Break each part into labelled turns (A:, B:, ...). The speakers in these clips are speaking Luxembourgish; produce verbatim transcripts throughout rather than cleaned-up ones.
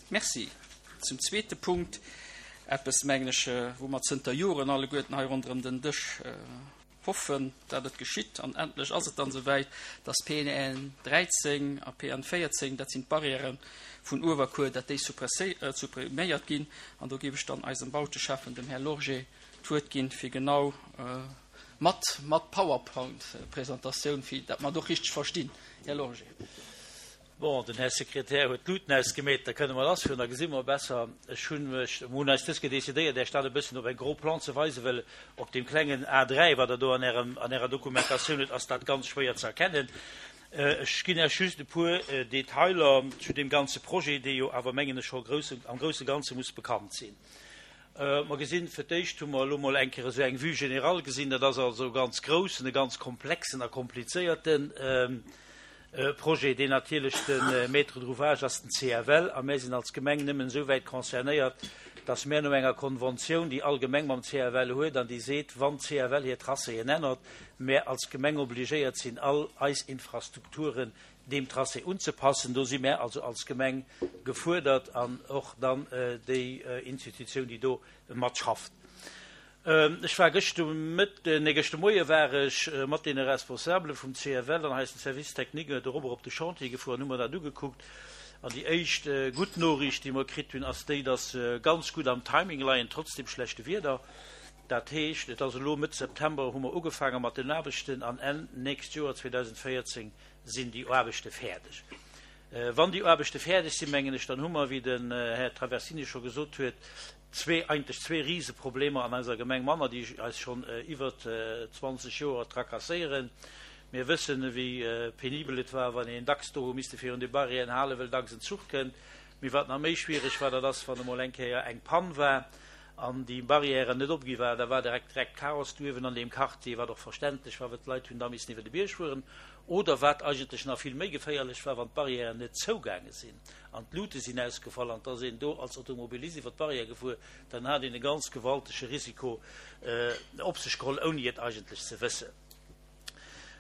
A: Merci. Zum zweete Punkt, eppes, mengen ech, wou mer zënter Joren alleguerten hei ronderëm den Dësch hoffen, dat et geschitt, an endlech ass et dann esouwäit, dass P N dräizéng a P N véierzéng, dat sinn d'Barrièrë vun Uewerkuer, dat déi suppriméiert ginn. An do géif ech dann eisem Bauteschäffen, dem Här Lorgé, d'Wuert ginn, fir genau mat mat PowerPoint-Presentatioun, fir dat mer et och richteg verstinn. Här Lorgé.
B: Bon, den Här Sekretär huet d'Luuten ausgemeet, da kënne mer lassfueren, da gesi mer besser. Ech hunn mech, mer hunn eis dës Kéier decidéiert, Iech dat e bëssen op eng gros plan ze weisen, well op deem klengen A dräi, wat Der do an Ärem, an Ärer Dokumentatioun hutt, ass dat ganz schwéier ze erkennen. Ech ginn Iech just e puer Detailer zu deem ganze Projet, dee jo awer, mengen ech, scho grousse, am grousse Ganze muss bekannt sinn. Mer gesinn, fir d'éischt hu mer elo mol eng Kéier esou eng Vue générale gesinn, dat ass also e ganz groussen, e ganz komplexen a komplizéierten Projet, deen natierlech de Maître d'ouvrage ass den C F L, a mär sinn als Gemeng nëmmen esou wäit concernéiert, dass mär no enger Konventioun, déi all Gemeng mam C F L huet an déi seet, wann d'C F L hir Tracéen ännert, mär als Gemeng obligéiert sinn, all eis Infrastrukturen deem Tracé unzepassen. Do si mär also als Gemeng gefuerdert an och dann déi Institutioun, déi do matschafft. Ech war gëscht de Mëtten, nee, gëscht de Moie war ech mat deene Responsabele vum C F L an eisem Service technique dorobber op de Chantier gefuer an hu mer dat ugekuckt. An déi éischt gutt Noriicht, déi mer kritt hunn, ass déi, dass se ganz gutt am Timing leien, trotz dem schlechte Wieder. Dat heescht, et ass elo Mëtt September hu mer ugefaange mat den Aarbechten an Enn nächst Joer zweedausendvéierzéng sinn déi Aarbechte fäerdeg. Wann déi Aarbechte fäerdeg sinn, mengen ech, dann hu mer, wéi den Här Traversini scho gesot huet, zwee, eigentlech zwee Riseproblemer an eiser Gemeng manner, déi eis schonn iwwer zwanzeg Joer tracasséieren. Mir wëssen, wéi penibel et war, wann een dacks do hu misste virun de Barrièren halen, well dacks en Zuch kënnt. Mee wat nach méi schwiereg war, dat ass, wann emol eng Kéier eng Pann war an déi Barrièren net opgi war, da war direkt direkt Chaos do uewen an deem Quartier, wat och verständlech war, well d'Leit hunn da missen iwwer de Bierg fueren. Oder wat eigentlech nach vill méi geféierlech war, wann d'Barrièren net zougaange sinn an d'Lute sinn ausgefall an da sinn do als Automobilist iwwer d'Barrière gefuer, dann hat een e ganz gewaltege Risiko op sech geholl, ouni et eigentlech ze wëssen.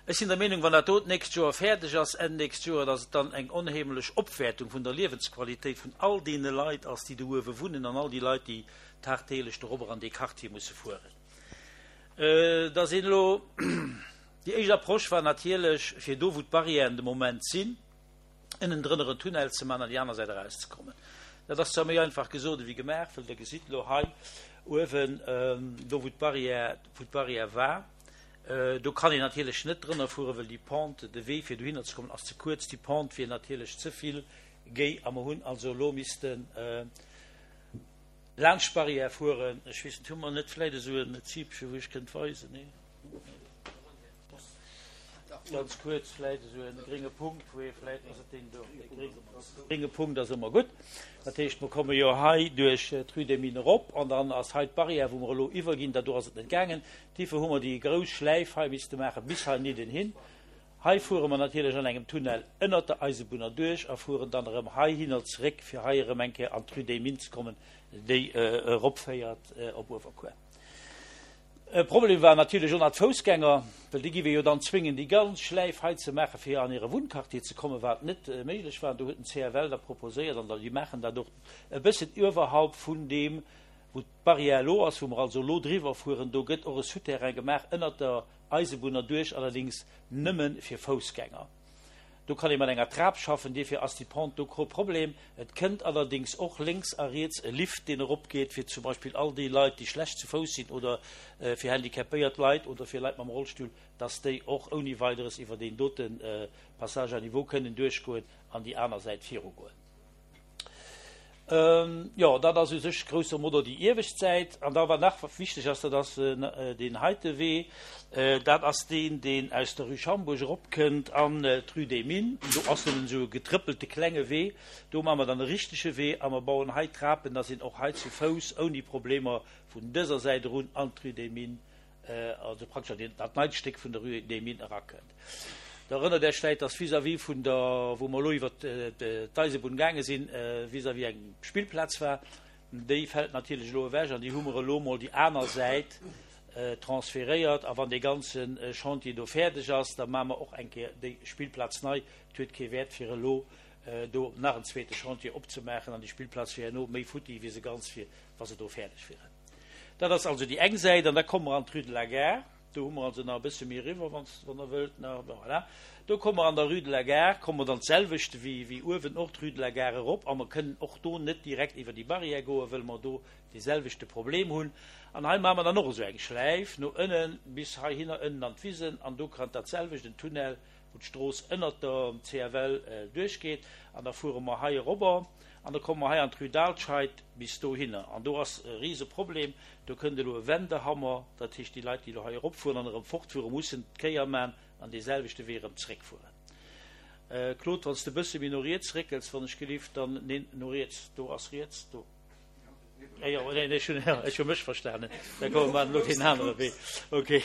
B: Ech sinn der Meenung, wann dat do d'nächst Joer fäerdeg ass, Enn nächst Joer, dass et dann eng onheemlech Opwäertung vun der Liewensqualitéit vun all deene Leit ass, déi do uewe wunnen, an all déi Leit, déi tagtäglech dorobber an dee Quartier musse fueren. Da sinn elo déi éischt Approche war natierlech, fir do, wou d'Barrièren de Moment sinn, ënnendrënner en Tunnel ze maachen an déi aner Säit erauszekommen. Dat ass zwar méi einfach gesot ewéi gemaach, well Der gesitt elo hei uewen, do wou d'Barrière, wou d'Barrière war, do kann een natierlech net drënner fueren, well déi Pente, de Wee fir dohinner ze kommen ass ze kuerz, déi Pente wier natierlech ze vill géi a mer hunn also elo missten laanscht d'Barrière fueren. Ech weess net, hu mer net vläit esou en Zipche, wou ech kënnt weisen? Nee? Ganz kuerz vläit esou e grénge Punkt, wou ee vläit, ass et deen do? Dee grénge Punkt ass ëmmer gutt. Dat heescht, mer komme jo hei duerch d'Rue des Mines erop an dann ass hei d'Barrière, wou mer elo iwwerginn. Dat do ass et net gaangen. Duerfir hu mer déi grouss Schläif hei misste maache bis heinidden hin. Hei fuere mer natierlech an engem Tunnel ënnert der Eisebunn erduerch a fueren dann erëm heihinner zeréck, fir hei erëm eng Kéier an d'Rue des Mines ze kommen, déi eropféiert op Uewerkuer. E Problem war natierlech och nach d'Foussgänger, well déi giff ee jo dann zwéngen, déi ganz Schläif hei ze maachen, fir an hire Wunnquartier ze kommen, wat net méiglech war. An do huet den C F L da proposéiert, an déi maachen dat och, e bëssen iwwerhalb vun deem, wou d'Barrière elo ass, wou mer also elo driwwer fueren, do gëtt och e Souterrain gemaach ënnert der Eisebunn erduerch, allerdéngs nëmme fir Foussgänger. Do kann ee mat enger Trap schaffen, dierfir ass déi Pente do kee Problem. Et kënnt allerdéngs och lénks a riets e Lift, deen eropgeet, fir zum Beispill all déi Leit, déi schlecht zu Fouss sinn oder fir handicapéiert Leit oder fir Leit mam Rollstull, dass déi och ouni Weideres iwwer deen dote Passage à niveau kënnen duerchgoen an déi aner Säit virugoen. Jo, dat ass u sech grosso modo déi iewescht Säit. An da wat nach wichteg ass, dat ass deen heite Wee. Dat ass deen, deen aus der Rue Schambourg eropkënnt an d'Rue des Mines. Do ass nëmmen esou e getrëppelte klenge Wee. Do maache mer dann e richtege Wee a mer bauen hei Trapen, dass een och hei zu Fouss ouni Problemer vun dëser Säit erun an d'Rue des Mines, also praktesch an dat neit Stéck vun der Rue des Mines erakënnt. Der erënnert Iech vläicht, dass vis-à-vis vun der, wou mer elo iwwer d'Eisebunn gaange sinn, vis-à-vis eng Spillplaz war. Déi fält natierlech elo ewech an déi hu mer elo mol déi aner Säit transferéiert. A wann dee ganze Chantier do fäerdeg ass, da maache mer och eng Kéier déi Spillplaz nei. Et huet kee Wäert, fir elo do nach en zweete Chantier opzemaachen an déi Spillplaz wier herno méi futti wéi se ganz wier, wa se do fäerdeg wieren. Dat ass also déi eng Säit an da komme mer an d'Rue de la Gare. Do hu mer also nach e bësse méi eriwwer, wann Der wëllt, nach, voilà. Do komme mer an der Rue de la Gare, komme mer dann d'selwecht wéi, wéi uewen och d'Rue de la Gare erop a mer kënnen och do net direkt iwwer déi Barrière goen, wëll mer do dee selwechte Problem hunn. An hei maache mer dann och esou eng Schläif no ënnen bis heihinner ënnen an d'Wisen an do kënnt dat selwecht, en Tunnel, wou d'Strooss ënnert der C F L duerchgeet an da fuere mer hei erobber an da komme mer hei an d'Rue d'Alscheid bis dohinner. An do ass e Riseproblem, do kënnt elo e Wendehammer, dat heescht déi Leit, déi elo hei eropfueren an erëm fortfueren, mussen d'Kéier man an dee selwechte Wee erëm zréckfueren. Claude, wann s de e bësse méi no riets réckels, wann ech gelift, dann, neen, no riets, do ass riets, do. Jo, neen, ech hunn, ech hu mech verstanen. Da komme mer elo deen anere Wee. Okay.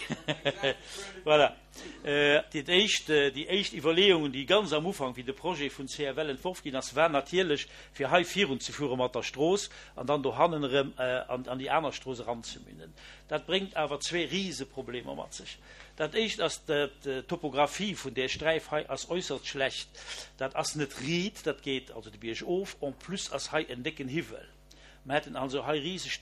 B: Voilà. Déi éischt, déi éischt Iwwerleeungen, déi ganz am Ufank, wéi de Projet vun C F L entworf ginn ass, war natierlech, fir hei virunzefuere mat der Strooss an dann dohannen erëm an, an déi aner Strooss eranzemünden. Dat bréngt awer zwee Riseproblemer mat sech. Dat éischt ass, d'Topographie vun där Sträif hei ass äusserst schlecht. Dat ass net riit, dat geet also de Bierg of. En plus ass hei en décken Hiwwel. Mer hätten also hei riseg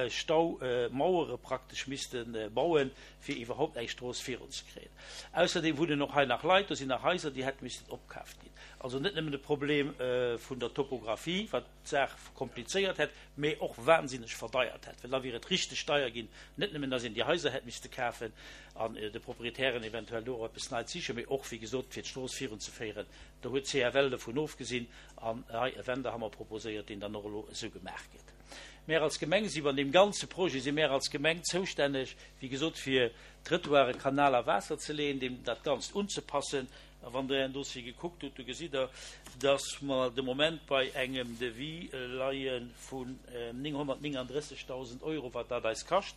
B: Staumauere praktesch misste bauen, fir iwwerhaupt eng Strooss virunzekréien. Ausserdeem wunnen och hei nach Leit, do sinn nach Haiser, déi hätte missten opkaaft ginn. Also net nëmmen de Problem vun der Topographie, wat d'Saach komplizéiert hätt, mee och wahnsinneg verdeiert hätt, well da wier et richteg deier ginn, net nëmmen, datt een déi Haiser hätt misste kafen an de Proprietären eventuell do och eppes Neits sichen, mee och, wéi gesot, fir d'Strooss virunzeféieren. Do huet C F L dovun ofgesinn an hei e Wendehammer proposéiert, deen dann och elo esou gemaach gëtt. Mär als Gemeng si an deem ganze Projet si mär als Gemeng zoustänneg, wéi gesot, fir Trëttoiren, Kanal a Waasser ze leeën, deem dat Ganzt unzepassen. A wann Der Ären Dossier gekuckt hutt, do gesitt Der, dass mer de Moment bei engem Devis leie vun nénghonnertnénganddrëssegdausend Euro, wat dat eis kascht.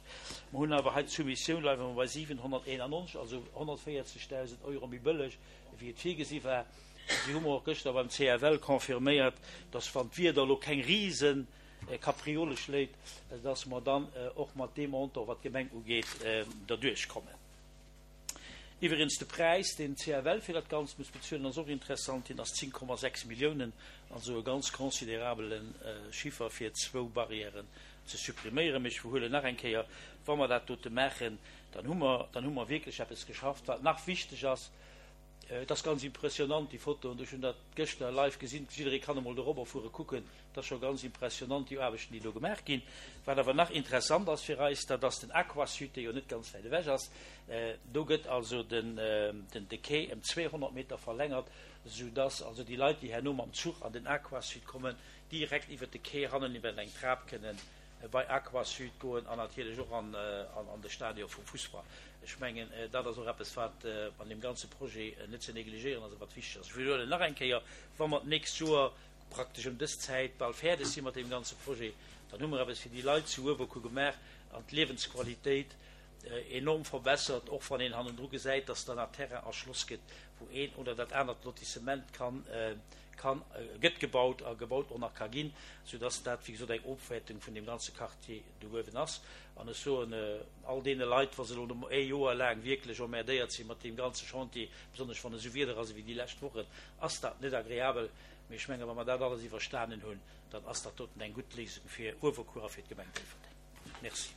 B: Mer hunn awer hei d'Soumissioun, leie mer bei siwenhonnerteenannonzeg, also honnertvéierzegdausend Euro méi bëlleg, wéi et virgesi war. Si hu mer och gëschter beim C F L confirméiert, dass wann d'Wieder elo keng Risenkapriole schléit, dass mer dann och mat deem Montant, wat d'Gemeng ugeet, derduerch kommen. Iwwregens de Präis, deen C F L fir dat Ganzt muss bezuelen, ass och interessant, deen ass zéng Komma sechs Milliounen, also e ganz considerabele Chiffer fir zwou Barrièren ze suppriméieren. Mee ech widderhuelen nach eng Kéier, wa mer dat dote maachen, dann hu mer, dann hu mer wierklech eppes geschafft, wat nach wichteg ass. Et ass ganz impressionant, déi Fotoen, ech hunn dat gëschter live gesinn, jidderee kann emol dorobber fuere kucken, dat ass scho ganz impressionant, déi Aarbechten, déi do gemaach ginn. Wat awer nach interessant ass fir eis, dat ass den Aquasud, dee jo net ganz wäit ewech ass. Do gëtt also den, den, de Quai ëm zweehonnert Meter verlängert, soudass also déi Leit, déi herno mam Zuch an den Aquasud kommen, direkt iwwert de Quai hannen iwwer eng Trap kënnen bei Aquasud goen an natierlech och an, an, an de Stadion vum Fussball. Ech mengen, dat ass och eppes, wat an deem ganze Projet net ze negligéieren ass a wat wichteg ass. Ech widderhuelen nach eng Kéier, wa mer d'nächst Joer praktesch ëm dës Zäit bal fäerdeg si mat deem ganze Projet, dann hu mer eppes fir déi Leit zu Uewerkuer gemaach an d'Liewensqualitéit enorm verbessert, och wann een hannendru gesäit, dass dann nach Terrain erschloss gëtt, wou een oder dat anert Lotissement kann, kann, gëtt gebaut a gebaut och nach ka ginn, soudass dat, wéi gesot, eng Opwäertung vun deem ganze Quartier do uewen ass. An ech soen all deene Leit, wa se elo ee Joer laang wierklech emmerdéiert si mat deem ganze Chantier, besonnesch wann esou Wieder ass ewéi déi lescht Wochen, ass dat net agreabel. Mee ech menge wa mer dat alles iwwerstanen hunn, dann ass dat doten eng gutt Léisung fir Uewerkuer a fir d'Gemeng Déifferdeng. Merci.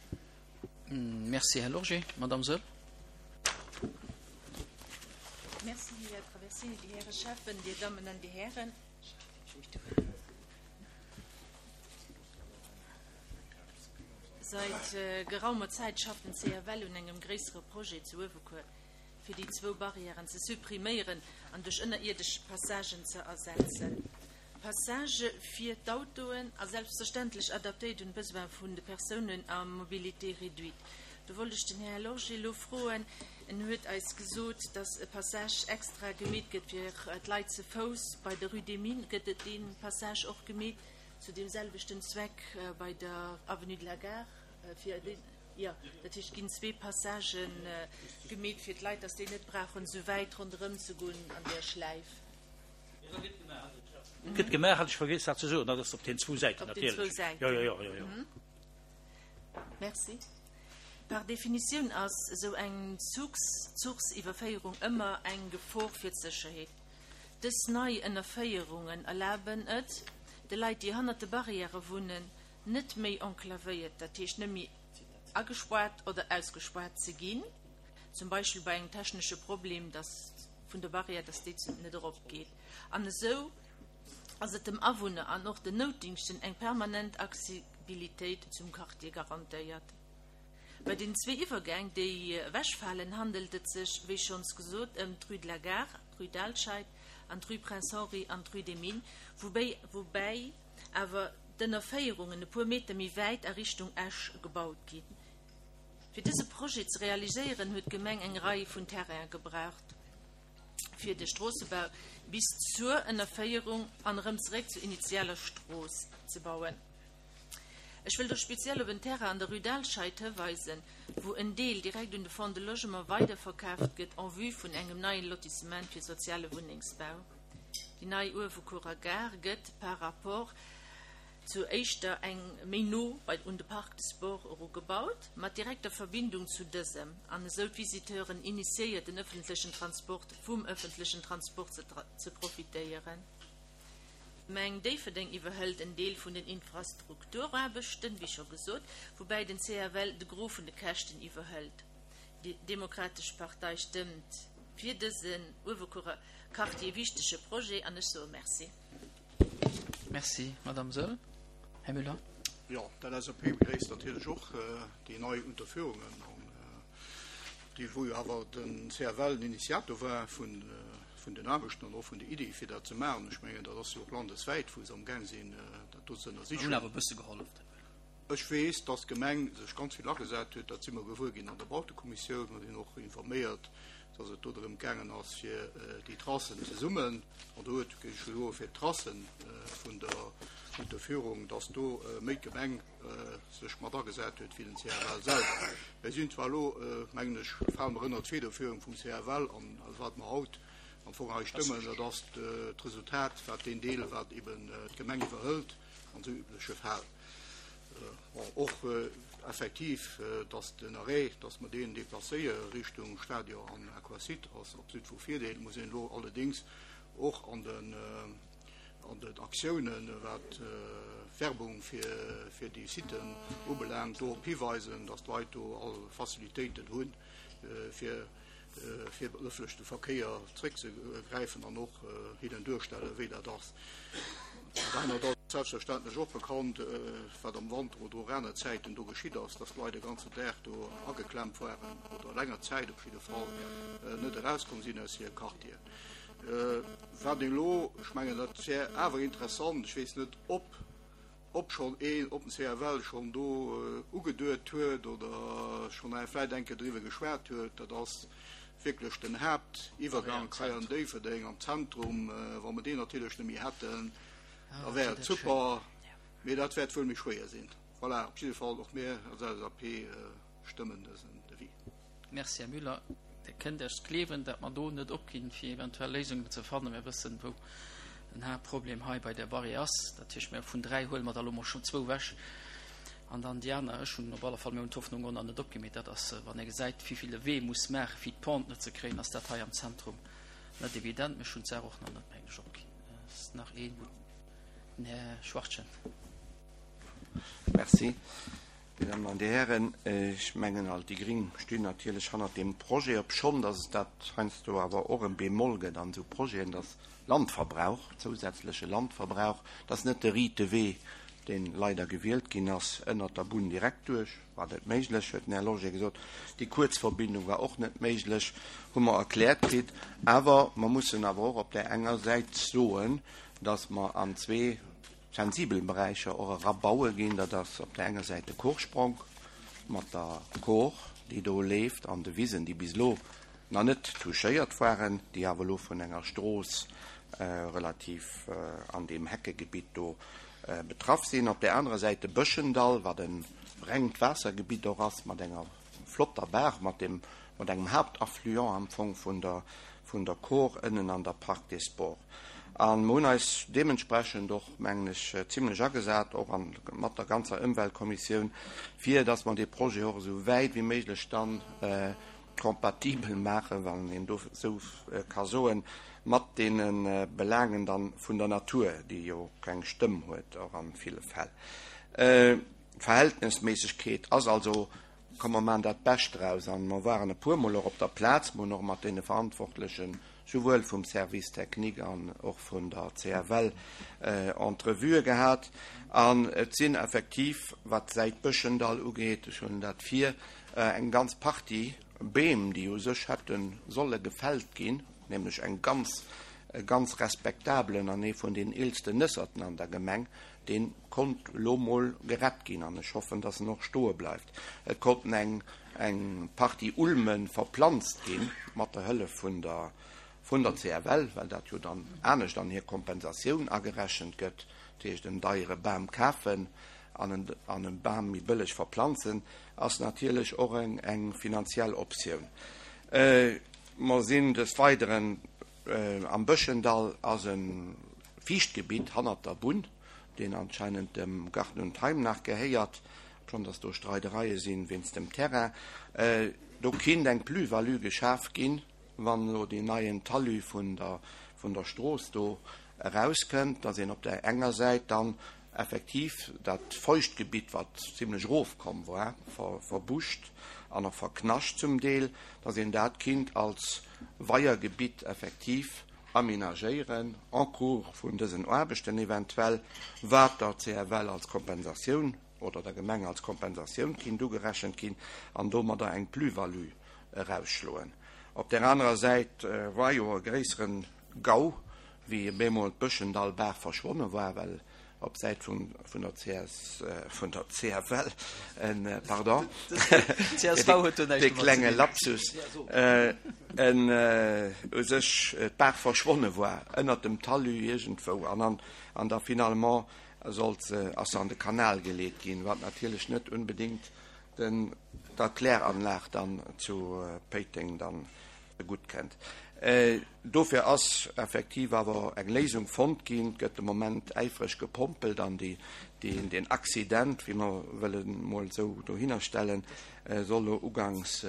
A: Merci, Här Lorgé. Madame Soll.
C: Merci, Här Traversini, déi Häre Schäffen, Dir Dammen an Dir Hären. Seit äh, geraumer Zäit schafft den C F L un engem gréissere Projet zu Uewerkuer, fir déi zwou Barrièren ze suppriméieren an duerch ënnerierdesch Passagen ze ersetzen. Passage fir d'Autoen a selbstverständlech adaptéiert un d'Besoin vun de Persounen à mobilité réduite. Do wollt ech den Här Lorgé elo froen, en huet eis gesot, dass e Passage extra gemeet gëtt fir d'Leit ze Fouss bei der Rue des Mines, gëtt et dee Passage och gemeet zu deem selwechten Zweck bei der Avenue de la Gare fir den, jo, dat heescht ginn zwee Passagen gemeet fir d'Leit, dass déi net brauchen esou wäit ronderëm ze goen an der Schläif.
B: Gëtt gemaach, hat ech vergiess dat ze soen, dat ass op den zwou Säiten
C: Op den zwou
B: natierlech.
C: Säiten.
B: Jo, jo, jo, jo, jo.
C: Merci. Par Definitioun ass esou eng Zuchs Zuchsiwwerféierung ëmmer eng Gefor fir d'Sécherheet. Dës nei Ënnerféierungen erlaben et de Leit, déi hannert de Barrièrë wunnen, net méi enclavéiert, dat heescht net méi agespaart oder ausgespaart ze ginn, zum Beispill bei engem technesche Problem, dass vun der Barrière, dass déi net eropgeet. An esou ass et dem Awunner an och den Noutdingschten eng permanent Accessibilitéit zum Quartier garantéiert. Bei den zwee Iwwergäng, déi ewechfalen, handelt et sech, wéi schonns gesot, ëm d'Rue de la Gare, d'Rue d'Alscheid an d'Rue Prince Henri an d'Rue des Mines, woubäi woubäi awer d'Ënnerféierungen e puer Meter méi wäit a Richtung Esch gebaut ginn. Fir dëse Projet ze realiséieren, huet d'Gemeng eng Rei vun Terraine gebraucht, fir de Stroossebau bis zur Ënnerféierung an erëm zeréck zur initialer Strooss ze bauen. Ech wëll do speziell op en Terrain an der Rue d'Alscheid hiweisen, wou en Deel direkt un de Fonds de Logement weiderverkaaft gëtt en vue vun engem neien Lotissement fir soziale Wunnengsbau. Déi nei Uewerkuerer Gare gëtt par rapport zur éischter eng méi no bei un de Parc des Sports erugebaut, mat direkter Verbindung zu dësem, an esou d'Visiteuren initiéiert, den ëffentlechen Transport vum ëffentlechen Transport ze ze profitéieren. D'Gemeng Déifferdeng iwwerhëlt en Deel vun den Infrastrukturaarbechten, wéi scho gesot, woubäi den C F L de Gros vun de Käschten iwwerhëlt. Déi Demokratesch Partei stëmmt fir dësen Uewerkuerer Quartier wichtege Projet an ech soe Merci.
A: Merci, Madame Saeul. Här Müller.
D: Jo, d'L S A P begréisst natierlech och déi nei Unterführungen, an déi, wou jo awer den C F L den Initiator war vun vun den Aarbechten an och vun der Iddi, fir dat ze maachen. Ech mengen, dat ass jo och landeswäit, wou se amgaang sinn, dat do ze ënnersichen.
A: Mir hunn awer e bësse gehollef.
D: Ech weess, dass d'Gemeng sech ganz vill agesat huet, dat si mer gewuer ginn an der Bautekommissioun, mer sinn och informéiert, dass et do drëm gaangen ass, fir déi Tracen zesummen, an do huet, géif ech soen, fir d'Tracen vun der Unterführung, dass do méi d'Gemeng sech mat agesat huet wéi den C F L selwer. Mir sinn zwar elo, mengen ech, fale mer ënnert d'Federführung vum C F L, an wat mer haut am Fong hei stëmmen, dat ass d'Resultat, wat deen Deel, wat eben d'Gemeng iwwerhëlt an esou übleche Fäll. Bon, och effektiv, dass den Arrêt, dass mer deen deplacéiere Richtung Stadion an Aquasite, ass absolut vu Virdeel. Muss een elo allerdéngs och an den an den Aktiounen, wat Werbung fir fir déi Siten ubelaangt, dorop hiweisen, dass d'Leit do all Facilitéiten hunn, fir fir op den ëffentleche Verkéier zréckzegräifen an och hinnen duerstellen, wéi dat ass. Dat anert ass selbstverständlech och bekannt, wat am Wanter oder och aner Zäiten do geschitt ass, dass d'Leit de ganzen Dag do ageklemmt waren oder länger Zäit op jidde Fall net erauskomm sinn aus hire Quartieren. Wat een elo, ech mengen, dat wär awer interessant, ech weess net, ob ob schonn een, ob den C F L schonn do ugeduet huet oder schonn vläicht eng Kéier driwwer geschwat huet, dat ass wierklech den Haaptiwwergank hei an Déifferdeng am Zentrum. Wa mer deen natierlech net méi hätten, da wär et super, mee dat wäert wuel méi schwéier sinn. Voilà, op jidde Fall och mir als L S A P stëmmen dësen Devis.
A: Merci, Här Müller. Dir kënnt Iech gleewen, datt mer do net opginn, fir eventuell Léisungen ze fannen. Mir wëssen, wou den Haaptproblem hei bei der Barrière ass. Dat heescht, mir vun dräi huele mer der elo mol schonn zwou ewech an dann déi aner. Ech hunn op alle Fall, mir hunn d'Hoffnung och nach net opginn, mee dat ass, wann ee gesäit, wéi vill e Wee muss maachen, fir d'Pente net ze kréien, ass dat hei am Zentrum net evident. Mee ech hunn d'Saach och nach net, mengen ech, opginn. Ass nach een, wou den Här Schwachtgen.
E: Merci. Dir Dammen an Dir Hären, ech mengen all déi Gring stinn natierlech hannert deem Projet, obschonn datt et dat heiansdo awer och e Bémol gëtt an esou Projeten, datt Landverbrauch, zousätzleche Landverbrauch, dat ass net de riite Wee, dee leider gewielt ginn ass, ënnert der Bunn direkt duerch, war net méiglech, huet den Här Loger gesot. Déi kuerz Verbindung war och net méiglech, hu mer erkläert kritt. Awer mer mussen awer och op där enger Säit soen, datt mer an zwee sensibel Beräicher och erabaue ginn. Dat ass op der enger Säit de Koorsprong mat der Kor, déi do leeft, an de Wisen, déi bis elo nach net touchéiert waren, déi awer elo vun enger Strooss relativ an deem Heckegebitt do betraff sinn. Op der anerer Säit de Bëschendall, wat e rengt Waassergebitt och ass, mat enger flotter Baach, mat dem, mat engem Haaptaffluent am Fong vun der, vun der Kor ënnen an der Parc des Sports. A mer hunn eis deementsprechend och, mengen ech, zimlech agesat, och an, mat der ganzer Ëmweltkommissioun, fir dass mer dee Projet och esou wäit wéi méiglech dann kompatibel maachen, wann een do esou ka soen, mat deene Belaangen dann vun der Natur, déi jo keng Stëmm huet, och a ville Fäll. D'Verhältnesméissegkeet ass also, komm mer maachen dat Bescht draus. A mer waren e puermol och op der Plaz, mer hunn och mat deene Verantwortlechen, souwuel vum Service technique an och vun der C F L, Entrevuë gehat. An et sinn effektiv, wat d'Säit Bëschendall ugeet, ech hunn dat vir, eng ganz Partie Beem, déi u sech hätte solle gefällt ginn, nämlech eng ganz, e ganz respektabelen an ee vun den eelsten Nësserten an der Gemeng, dee konnt elo mol gerett ginn an ech hoffen, dass en och stoe bleift. Et konnten eng, eng Partie Ulme verplanzt gi mat der Hëllef vun der, vun der C F L, well dat jo dann anescht an hir Kompensatioun agerechent gëtt, dat heescht en deiere Bam kafen an en, an en Bam méi bëlleg verplanzen, ass natierlech och eng, eng finanziell Optioun. Mer sinn des Weideren am Bëschendall ass e Fiichtgebitt hannert der Bunn, deen anscheinend dem Garten und Heim nach gehéiert, schonn dass do Streidereie sinn wéinst dem Terrain. Do kinnt eng Plus-value geschaf ginn, wann elo deen neien Talus vun der, vun der Strooss do erauskënnt, dass een op där enger Säit dann effektiv dat Feuchtgebitt, wat zimlech erofkomm war, verbuscht an och verknascht zum Deel, dass een dat kinnt als Weiergebitt effektiv amenagéieren en cours vun dësen Aarbechten eventuell, wat der C F L als Kompensatioun oder der Gemeng als Kompensatioun kinnt ugerechent ginn an domadder eng Plus-value erausschloen. Op der anerer Säit war jo e gréisseren Gau, wéi bemol d'Bëschendallbaach verschwonne war, well op Säit vun vun der C S vun der C F L en pardon
A: C S V huet do näischt
E: dee
A: domat ze
E: klenge
A: dinn.
E: Lapsus en u sech d'Baach verschwonne war ënnert dem Talus iergendwou an an an da finalement sollt se ass se an de Kanal geleet ginn, wat natierlech net unbedingt den der Kläranlag dann zu Péiteng dann gutt kënnt. Dofir ass effektiv awer eng Léisung fonnt ginn, et gëtt de Moment äifreg gepompelt an déi, déi, deen Accident, wéi mer wëllen mol esou dohinner stellen, soll lo ugangs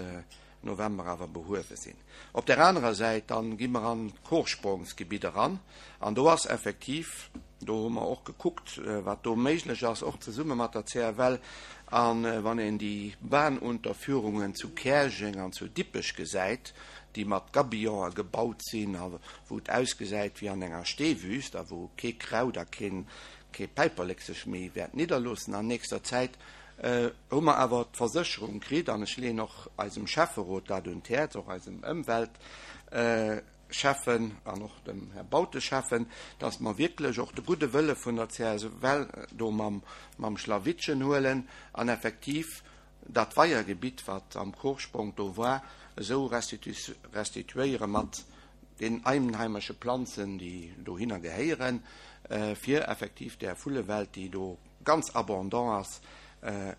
E: November awer behuewe sinn. Op der anerer Säit dann gi mer an d'Chorsprongsgebitt eran an do ass effektiv, do hu mer och gekuckt, wat do méiglech ass, och zesumme mat der C F L, an wann een déi Bahnunterführungen zu Käerjeng an zu Dippech gesäit, déi mat Gabionen gebaut sinn a wou et ausgesäit wéi an enger Steewüst a wou kee Kraut a keen, kee Päiperlek sech méi wäert nidderloossen an nächster Zäit, hu mer awer d'Versécherung kritt, an ech leeën och eisem Schäfferot dat un d'Häerz, och eisem Ëmweltschäffen an och dem Här Bauteschäffen, dass mer wierklech och de gudde Wëlle vun der C S F L do mam, mam Schlawittchen huelen an effektiv dat Weiergebitt, wat am Chorsprong do war, esou restituéiere mat den einheimesche Planzen, déi dohinner gehéieren, fir effektiv där Vullewelt, déi do ganz abondant ass,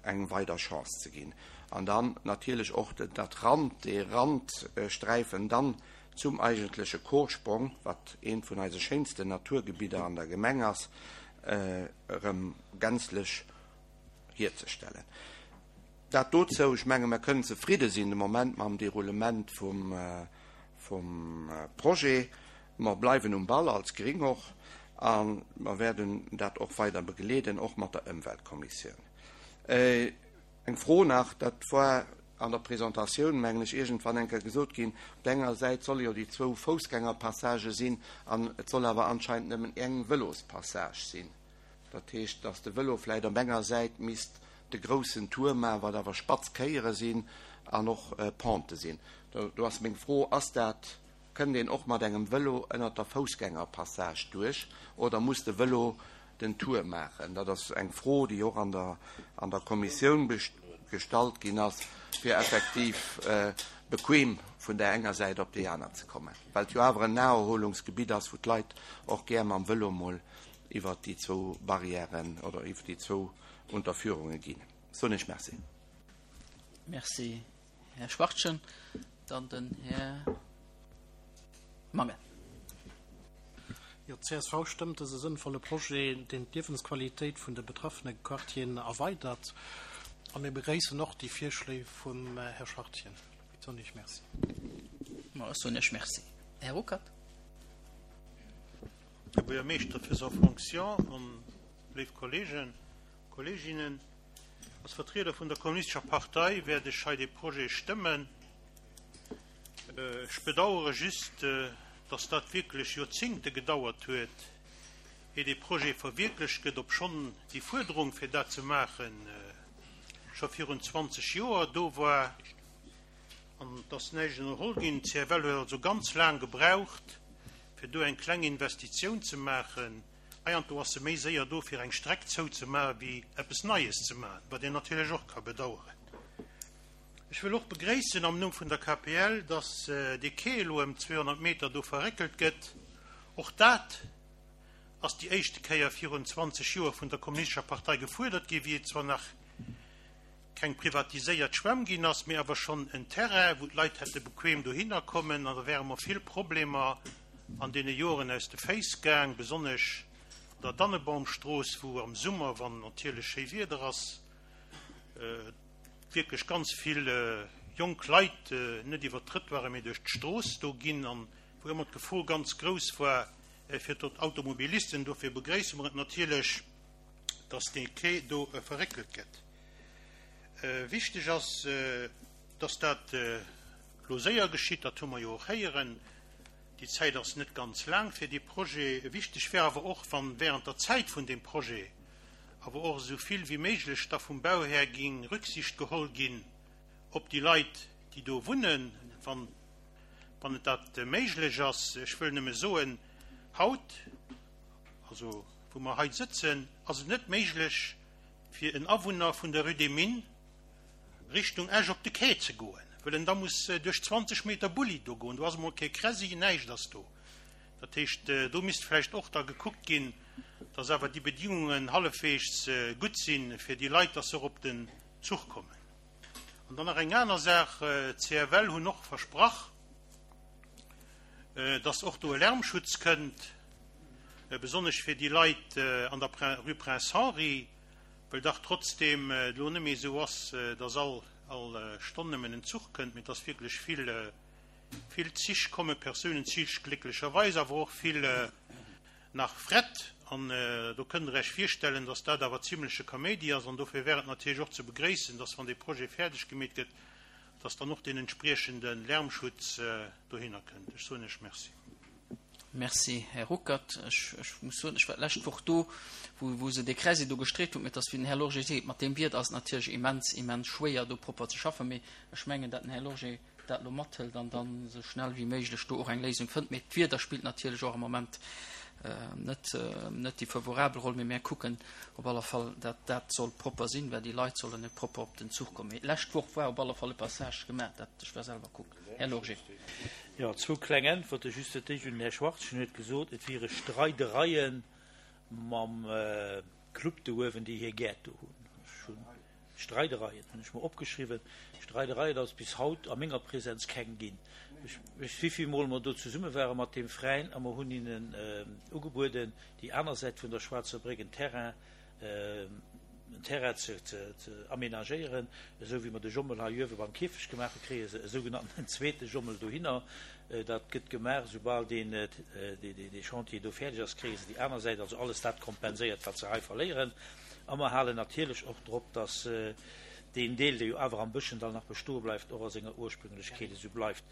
E: eng weider Chance ze ginn. An dann natierlech och dat Rand, dee Randsträifen dann zum eigentleche Chorsprong, wat eent vun eise schéinsten Naturgebidder an der Gemeng ass, erëm gänzlech hierzestellen. Dat dozou, ech menge mer kënnen zefridde sinn de Moment mam Deroulement vum, vum Projet. Mer bleiwen um Ball als Gring och a mer wäerten dat och weider begleeden, och mat der Ëmweltkommissioun. Eng Fro nach, dat war an der Presentatioun, mengen ech, iergendwann eng Kéier gesot ginn, op der enger Säit solle jo déi zwou Foussgängerpassagë sinn an et soll awer anscheinend nëmmen eng Vëlospassage sinn. Dat heescht, dass de Vëlo vläicht op enger Säit misst de groussen Tour maachen, wat awer spatz Kéiere sinn an och Pente sinn. Do, do ass meng Fro, ass dat, kënnt een och mat engem Vëlo ënnert der Foussgängerpassage duerch oder muss de Vëlo den Tour maachen? Dat ass eng Fro, déi och an der, an der Kommissioun gestallt ginn ass, fir effektiv bequem vun der enger Säit op déi aner ze kommen. Well et jo awer en Naherholungsgebitt ass, wou d'Leit och gär mam Vëlo mol iwwer déi zwou Barrièren oder iwwer déi zwou Unterführunge ginn. Soen ech Merci.
A: Merci, Här Schwachtgen. Dann den Här Mangen.
F: Jo, d'C S V stëmmt dëse sënnvolle Projet, deen d'Liewensqualitéit vun de betraffene Quartieren erweidert. A mir begréissen och déi Virschléi vum Här Schwachtgen. Soen Iech Merci.
A: Ma ech soen Iech Merci. Här Ruckert.
G: Här Buergermeeschter faisant fonction an léif Kolleegen, Kolleeginnen, als Vertrieder vun der Kommunistescher Partei wäert ech hei dee Projet stëmmen. Ech bedauere just, dass dat wierklech Joerzéngte gedauert huet, ier dee Projet verwierklecht gëtt, obschonn déi Fuerderung, fir dat ze maachen, scho virun zwanzeg Joer do war an et ass näischt ënnerholl ginn. D'CFL huet also ganz laang gebraucht, fir do eng kleng Investitioun ze maachen. Heiansdo ass se méi séier do, fir eng Streck zouzemaachen, wéi eppes Neies ze maachen, wat een natierlech och ka bedauern. Ech wëll och begréissen am Numm vun der K P L, dass dee Quai elo ëm zweehonnert Meter do verréckelt gëtt. Och dat ass déi éischte Kéier virun zwanzeg Joer vun der Kommunistescher Partei gefuerdert ginn, wéi et zwar nach keng privatiséiert Schwämm ginn ass, mee awer schonn en Terrain, wou d'Leit hätte bequem dohinner kommen, an da wäre mer vill Problemer an deene Joren aus de Féiss gaang, besonnesch an der Dannebaumstrooss, wou am Summer, wann natierlech schéi Wieder ass, wierklech ganz vill jonk Leit net iwwer d'Trëttoiren, mee duerch d'Strooss do ginn an wou ëmmer d'Gefor ganz grouss war fir d'Automobilisten. Dofir begréisse mer et natierlech, dass dee Quai do verréckelt gëtt. Wichteg ass, dass dat elo séier geschitt, dat hu mer jo och héieren. Déi Zäit ass net ganz laang fir dee Projet. Wichteg wär awer och, wann während der Zäit vun deem Projet awer och esou vill wéi méiglech da vum Bauhär géing Rücksicht geholl ginn op déi Leit, déi do wunnen, wann wann et dat méiglech ass. Ech wëll nëmme soen, haut, also wou mer hei sëtzen, ass et net méiglech fir en Awunner vun der Rue des Mines Richtung Esch op de Quai ze goen, well en da muss duerch zwanzeg Meter Bulli do goen. Do ass emol kee Kräsi, näischt ass do. Dat heescht, do misst vläicht och da gekuckt ginn, dass awer déi Bedingungen hallefweegs gutt sinn, fir déi Leit, dass se och op den Zuch kommen. An dann nach eng aner Saach, d'C F L hunn och versprach, dass och do e Lärmschutz kënnt, besonnesch fir déi Leit an der Rue Prince Henri, well dach trotzdeem et elo net méi esou ass, dass all all Stonn nëmmen en Zuch kënnt, mee dass wierklech vill vill Zich kommen, Persounenzich glécklecherweis, awer och vill nach Fret. An do kënnt Der Iech virstellen, dass dat awer zimleche Kaméidi ass. An dofir wär et natierlech och ze begréissen, dass wann dee Projet fäerdeg gemeet gëtt, dass dann och deen entspriechende Lärmschutz dohinner kënnt. Ech soen Iech Merci.
A: Merci, Här Ruckert. Ech, ech muss soen, ech war d'lescht Woch do, wou, wou se dee Kräsi do gestreet hunn, mee et ass, wéi den Här Lorgé seet, mat deem Wieder ass et natierlech immens, immens schwéier, do propper ze schaffen. Mee ech mengen, datt den Här Lorgé dat elo mathëlt an dann esou schnell wéi méiglech do och eng Léisung fënnt. Mee d'Wieder spillt natierlech och am Moment net, net déi favorabel Roll. Mee mär kucken op alle Fall, datt dat soll propper sinn, well déi Leit sollen net propper op den Zuch kommen. Mee d'lescht Woch war op alle Fall e Passage gemaach, dat, ech war selwer kucken. Här Lorgé.
B: Jo, zwou kleng Äntwerte just. Dat éischt un den Här Schwarz. En huet gesot, et wiere Streidereie mam Club do uewen, déi hir Gäert do hunn. Ech hunn Streidereien, hunn ech mer opgeschriwwen. Streidereien ass bis haut a menger Präsenz keng ginn. Ech weess, wéi vill Mol mer do zesumme ware mat deem Veräin a mer hunn hinnen ugebueden, déi aner Säit vun der Schwaarzer Bréck en Terrain, en Terrain ze, ze, ze amenagéieren, esou wéi mer de Jommel hei uewe beim Kierfecht gemaach hunn, kréie se e sougenannten zweete Jommel dohinner. Dat gëtt gemaach, soubal deen, dee, dee Chantier do fäerdeg ass, kréie se déi aner Säit, also alles dat kompenséiert, wat se hei verléieren. A mer halen natierlech och drop, dass deen Deel, dee jo awer am Bëschendall nach bestoe bleift, och a senger Ursprünglechkeet esou bleift.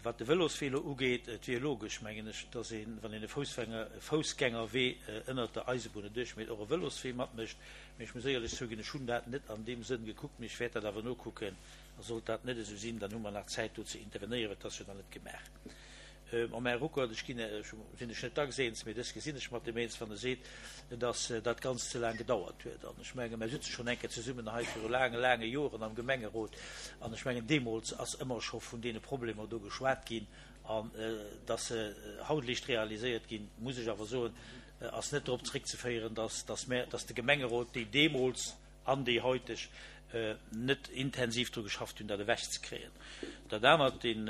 B: Wat de Vëloswee elo ugeet, et wier logesch, mengen ech, dass een, wann een e Foussgängerwee ënnert der Eisebunn erduerch mécht, och e Vëloswee matmécht. Mee ech muss éierlech zouginn, ech hunn dat net an deem Sënn gekuckt, mee ech wäert dat awer nokucken. A sollt dat net esou sinn, dann hu mer nach Zäit do ze intervenéieren, et ass jo nach net gemaach. Mam Här Ruckert, ech ginn, ech sinn ech net dacks eens, mee dës gesinn ech mat deem eens, wann e seet, dass dat Ganzt ze laang gedauert huet. An ech menge mer sëtze schonn eng Kéier zesummen hei viru laange, laange Joren am Gemengerot an ech mengen deemools ass ëmmer scho vun deene Problemer do geschwat ginn an dass se haut liicht realiséiert ginn, muss ech awer soen, ass net drop zréckzeféieren, dass, dass mer, dass de Gemengerot, déi deemools an déi heuteg, net intensiv dru geschafft hunn, dat ewechzekréien. Dat anert, deen,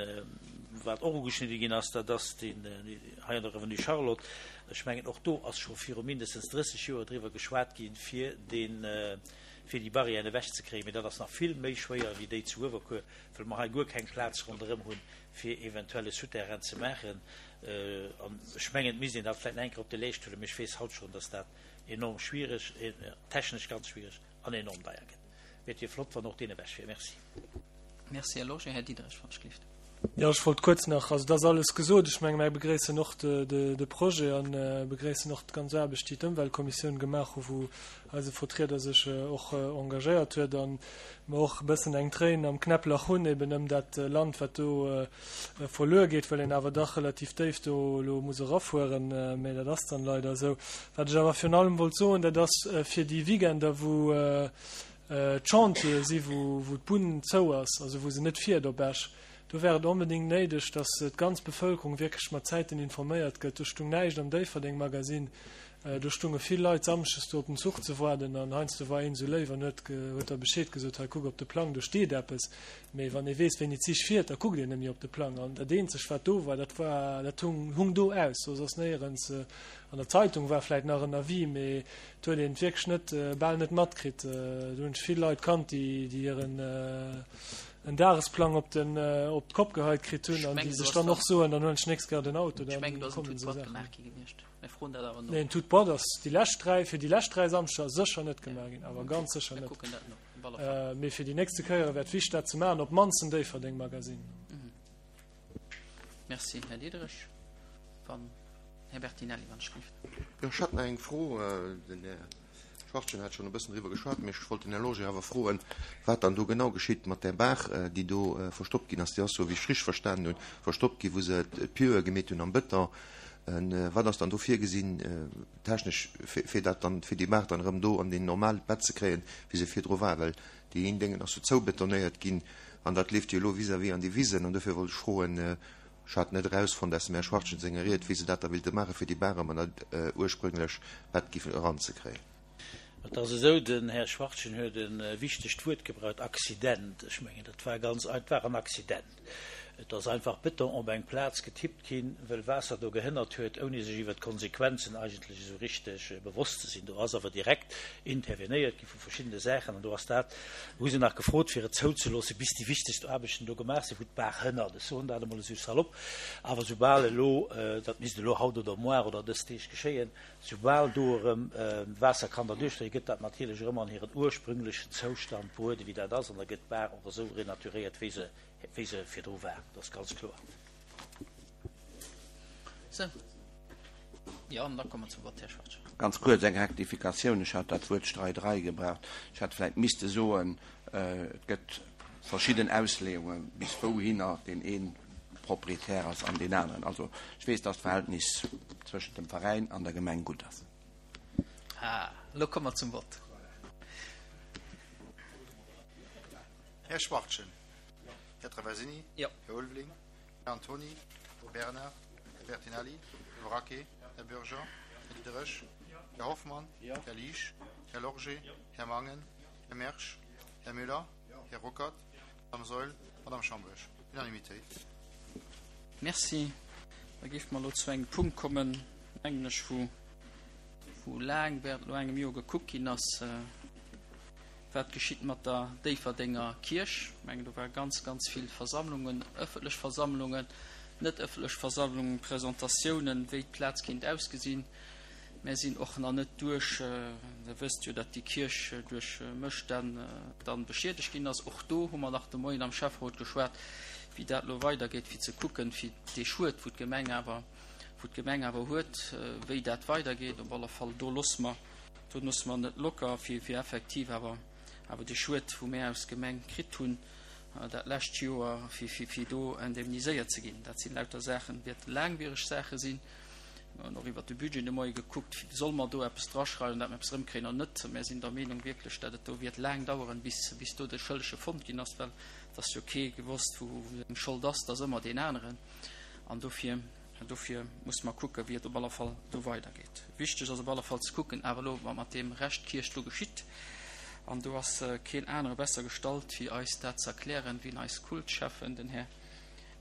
B: wat och ugeschnidde ginn ass, dat ass deen hei an der Avenue Charlotte. Ech mengen, och do ass scho viru mindestens drësseg Joer driwwer geschwat ginn, fir deen, fir déi Barrièren ewechzekréien. Mee dat ass nach vill méi schwéier wéi déi zu Uewerkuer, well mer hei guer keng Plaz ronderëm hunn, fir eventuell e Souterrain ze maachen. An ech mengen, et misst een dat vläicht nach eng Kéier op de Leescht huelen, mee ech weess haut schonn, dass dat enorm schwiereg, technesch ganz schwiereg an enorm deier gëtt. Mee et wier flott, wann och deen ewech wier. Merci.
A: Merci, Här Lorgé. Här Diderich, wann ech gelift.
H: Jo, ech wollt kuerz nach, also et ass alles gesot. Ech menge mär begréissen och de Projet a begréissen och d'ganz Aarbecht, déi d'Ëmweltkommissioun gemaach hu, wou eise Vertrieder sech och engagéiert huet a mer och e bëssen eng Tréin am Knäpplach hunn eben ëm dat Land, wat do verluer geet, well een awer dach relativ déif do elo muss erafueren. Mä dat ass dann leider esou. Wat ech awer virun allem wollt soen, dat ass fir déi Weekender, wou d'Chantiere si wou d'Bunn zou ass, also wou se net fiert op Esch, do wär et onbedéngt néideg, datt d'ganz Bevëlkerung wierklech mat Zäiten informéiert gëtt. Do stung näischt am Déifferdeng Magasinn, do stunge vill Leit samschdes do op den Zuch ze waarden an heiansdo war een esou léif an huet huet da Bescheed gesot, hei kuck op de Plang, do steet eppes. Mee wann ee weess wéini d'Zich fiert, da kuckt een net méi op de Plang. An dat eenzegt wat do war, dat war dat hung hung do aus, soss ass néierens An der Zeitung war vläit nach en Avis, mee et huet een et wierklech net, bal net matkritt. Do hunn ech vill Leit kannt, déi hiren en Dagesplang op den op d'Kopp geheit kritt hunn an déi sech dann och soen, dann huelen ech d'nächst Kéier den Auto,
A: Ech
H: dann
A: mengen, do ass en
H: kommen
A: Tout
H: esou
A: droit
H: Saachen.
A: gemaach gi gewiescht. Mir froen dat awer no.
H: Nee, en Tout droit ass déi lescht dräi, fir déi lescht dräi Samschder sécher net gemaach ginn, awer ganz sécher
A: Mir
H: net.
A: kucken dat no, op alle Fall.
H: Mee fir déi nächste Kéiere wär et wichteg, dat ze maachen, op d'mannst en Déifferdeng-Magasinn.
A: Merci, Här Diderich. Wann. Här Bertinelli, wann ech gelift.
I: Jo, ech hätt nach eng Fro. Den Här Schwachtgen hat schonn e bëssen driwwer geschwat, mee ech wollt den Här Loger awer froen, wat dann do genau geschitt mat där Baach, déi do verstoppt ginn ass. Déi ass, sou wéi ech richteg verstanen hunn, verstoppt ginn, wou se d'Pieue gemeet hunn am Bëton. Wat ass dann do virgesinn technesch, fir dat dann, fir déi Baach dann erëm do an deen normaalt Bett ze kréien, wéi se virdru war? Well déi een Déngen ass jo zoubetonéiert ginn an dat leeft jo elo vis-à-vis an déi Wisen. An dofir wollt ech froen, Ech hat net erausfonnt aus dem Här Schwachtgen senger Ried, wéi se dat da willte maachen, fir déi Bar erëm an dat ursprünglech Bett giffen eranzekréien.
B: Et ass esou, den Här Schwachtgen huet e wichtegt Wuert gebraucht, Accident. Ech mengen, dat war ganz, et war en Accident. Et ass einfach Beton op eng Plaz getippt ginn, well Waasser do gehënnert huet, ouni sech iwwert d'Konsequenzen eigentlech esou richteg bewosst ze sinn. Do ass awer direkt intervenéiert gi vu verschiddene Saachen an do ass dat, hu se nach gefrot, fir et zouzeloossen, bis déi wichtegst Aarbechten do gemaach sinn, wou d'Baach hënnert. Ech soen dat emol esou salopp. Awer soubal elo, dat misst elo haut oder moar oder dës Deeg geschéien, soubal do erëm Waasser kann derduerch dréien, gëtt dat natierlech erëm an hiren ursprünglechen Zoustand bruet, wéi dat ass, an da gëtt d'Baach och esou renaturéiert, wéi se wéi se virdru war, dat ass ganz kloer.
A: Sou. Jo, an da komme mer zum Vott, Här Schwarz.
E: Ganz kuerz eng Rektifikatioun, Ech hat dat Wuert Streiderei gebraucht. Ech hätt vläicht misste soen, et gëtt verschidden Ausleeungen, bis wouhinner deen ee Proprietär ass an deen aneren. Also ech weess, dass d'Verhältnis zwëschent dem Veräin an der Gemeng gutt ass.
A: Ah, elo komme mer zum Vott.
J: Här Schwachtgen. Här Traversini.
A: Jo.
J: Här Ulveling. Här Antony. Här Bernard. Här Bertinelli. Här Braquet. Här Bürger. Här Diderich. Här Hoffmann. Här Liesch. Här Lorgé. Här Mangen. Här Mersch. Här Müller. Här Ruckert. Madame Saeul. Madame Schambourg. Unanimitéit.
A: Merci. Da géife mer elo zu engem Punkt kommen, mengen ech, wou, wou laang während elo engem Joer gekuckt ginn ass, wat geschitt mat der Déifferdenger Kierch. Ech mengen, do ware ganz, ganz vill Versammlungen, ëffentlech Versammlungen, net ëffentlech Versammlungen, Presentatiounen, wéi d'Plaz kéint ausgesinn. Mär sinn och nach net duerch. Der wësst jo, datt déi Kierch duerch Mësstänn dann beschiedegt ginn ass. Och do hu mer nach de Moien am Schäfferot geschwat, wéi dat elo weidergeet, fir ze kucken, fir dee Schued, wou d'Gemeng awer, wou d'Gemeng awer huet, wéi dat weidergeet. Op alle Fall, do loosse mer, do loosse mer net locker, fir, fir effektiv awer, awer dee Schued, wou mär aus Gemeng kritt hunn dat lescht Joer, fir, fir, fir do indemniséiert ze ginn. Dat sinn lauter Saachen, wäerte laangwiereg Saache sinn. Mir hunn och iwwert de Budget de Moie gekuckt, solle mer do eppes draschreiwen, dat mer eppes erëmkréien oder net. Mär sinn der Meenung wierklech, dat et do wäert laang daueren, bis, bis do de Schëllege fonnt ginn ass, well et ass jo kee gewosst, wou seng Schold ass, et ass ëmmer deen aneren. An dofir, dofir musse mer kucken, wéi et op alle Fall do weidergeet. Wichteg ass op alle Fall ze kucken awer elo, wat mat deem Rescht Kierch do geschitt. An do ass keen anere besser gestallt, fir eis dat ze erklären, wéi eis Kultschäffen, den Här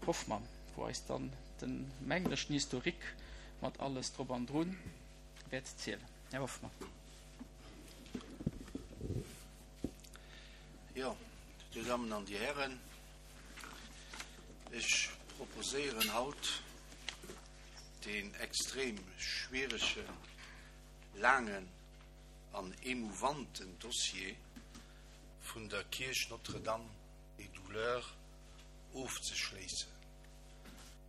A: Hoffmann, wou eis dann den menglechen Historique mat alles drop an drun wäert zielen. Här Hoffmann.
K: Jo, Dir Dammen an Dir Hären, ech proposéieren haut deen extrem schwieregen, laangen an emouvanten Dossier vun der Kierch Notre-Dame des Douleurs ofzeschléissen.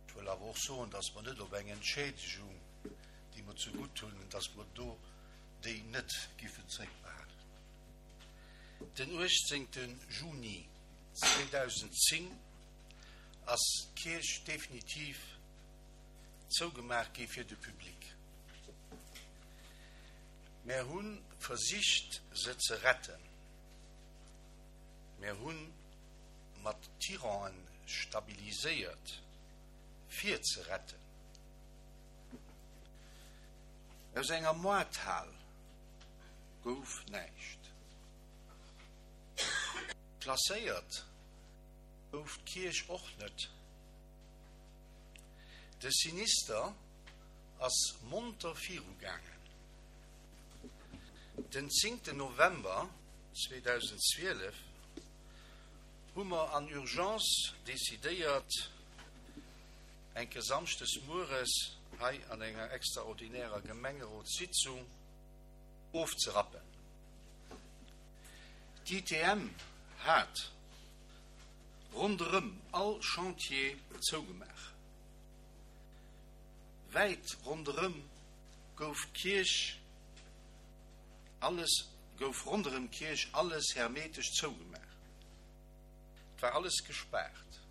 K: Ech wëll awer och soen, dass mer net op eng Entschädigung, déi mer zegutt hunn, dass mer do déi net giffen zréckbehalen. Den uechtzéngte Juni zweedausendzéng ass d'Kierch definitiv zougemaach gi fir de Public. Mär hu versicht se ze retten. Mär hu mat Tiranten stabiliséiert fir ze retten. Aus enger Moarthal gouf näischt. Klasséiert gouf d'Kierch och net. De Sinister ass monter virugaangen. Den zéngten November zweedausendzwielef hu mer an Urgence decidéiert, enke samschdes mueres hei an enger extraordinärer Gemengerotssitzung ofzerappen. D'I T M hat ronderëm all Chantier zougemaach. Wäit ronderëm gouf d'Kierch alles gouf ronderëm d'Kierch alles hermetesch zougemaach. Et war alles gespaart.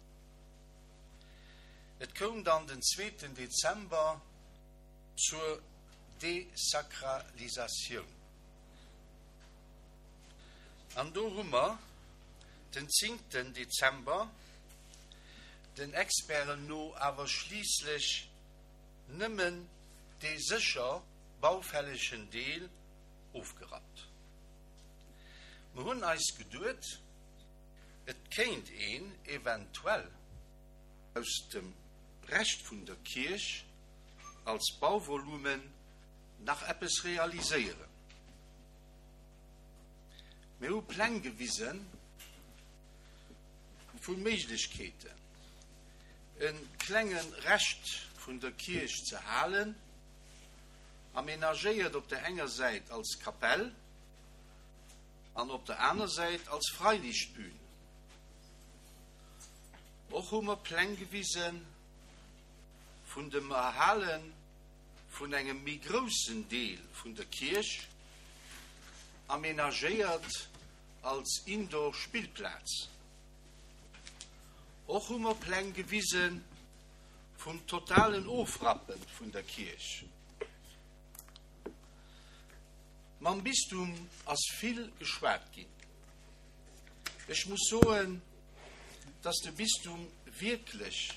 K: Et koum dann den zweeten Dezember zur Desakralisatioun. An do hu mer den zéngten Dezember den Experten no awer schliisslech nëmmen dee sécher baufällegen Deel ofgerappt. Mer hunn eis geduet, et kéint een eventuell aus dem Rescht vun der Kierch als Bauvolumen nach eppes realiséieren. Mir hu Pläng gewise vu Méiglechkeeten, e klenge Rescht vun der Kierch ze halen, amenagéiert op der enger Säit als Kapell an op der aner Säit als Freilichtbühn. Och hu mer Pläng gewise vun dem Erhale vun engem méi groussen Deel vun der Kierch, amenagéiert als Indoor-Spillplaz. Och hu mer Pläng gewise vum totalen Ofrappe vun der Kierch. Mam Bistum ass vill geschwat ginn. Ech muss soen, dass de Bistum wierklech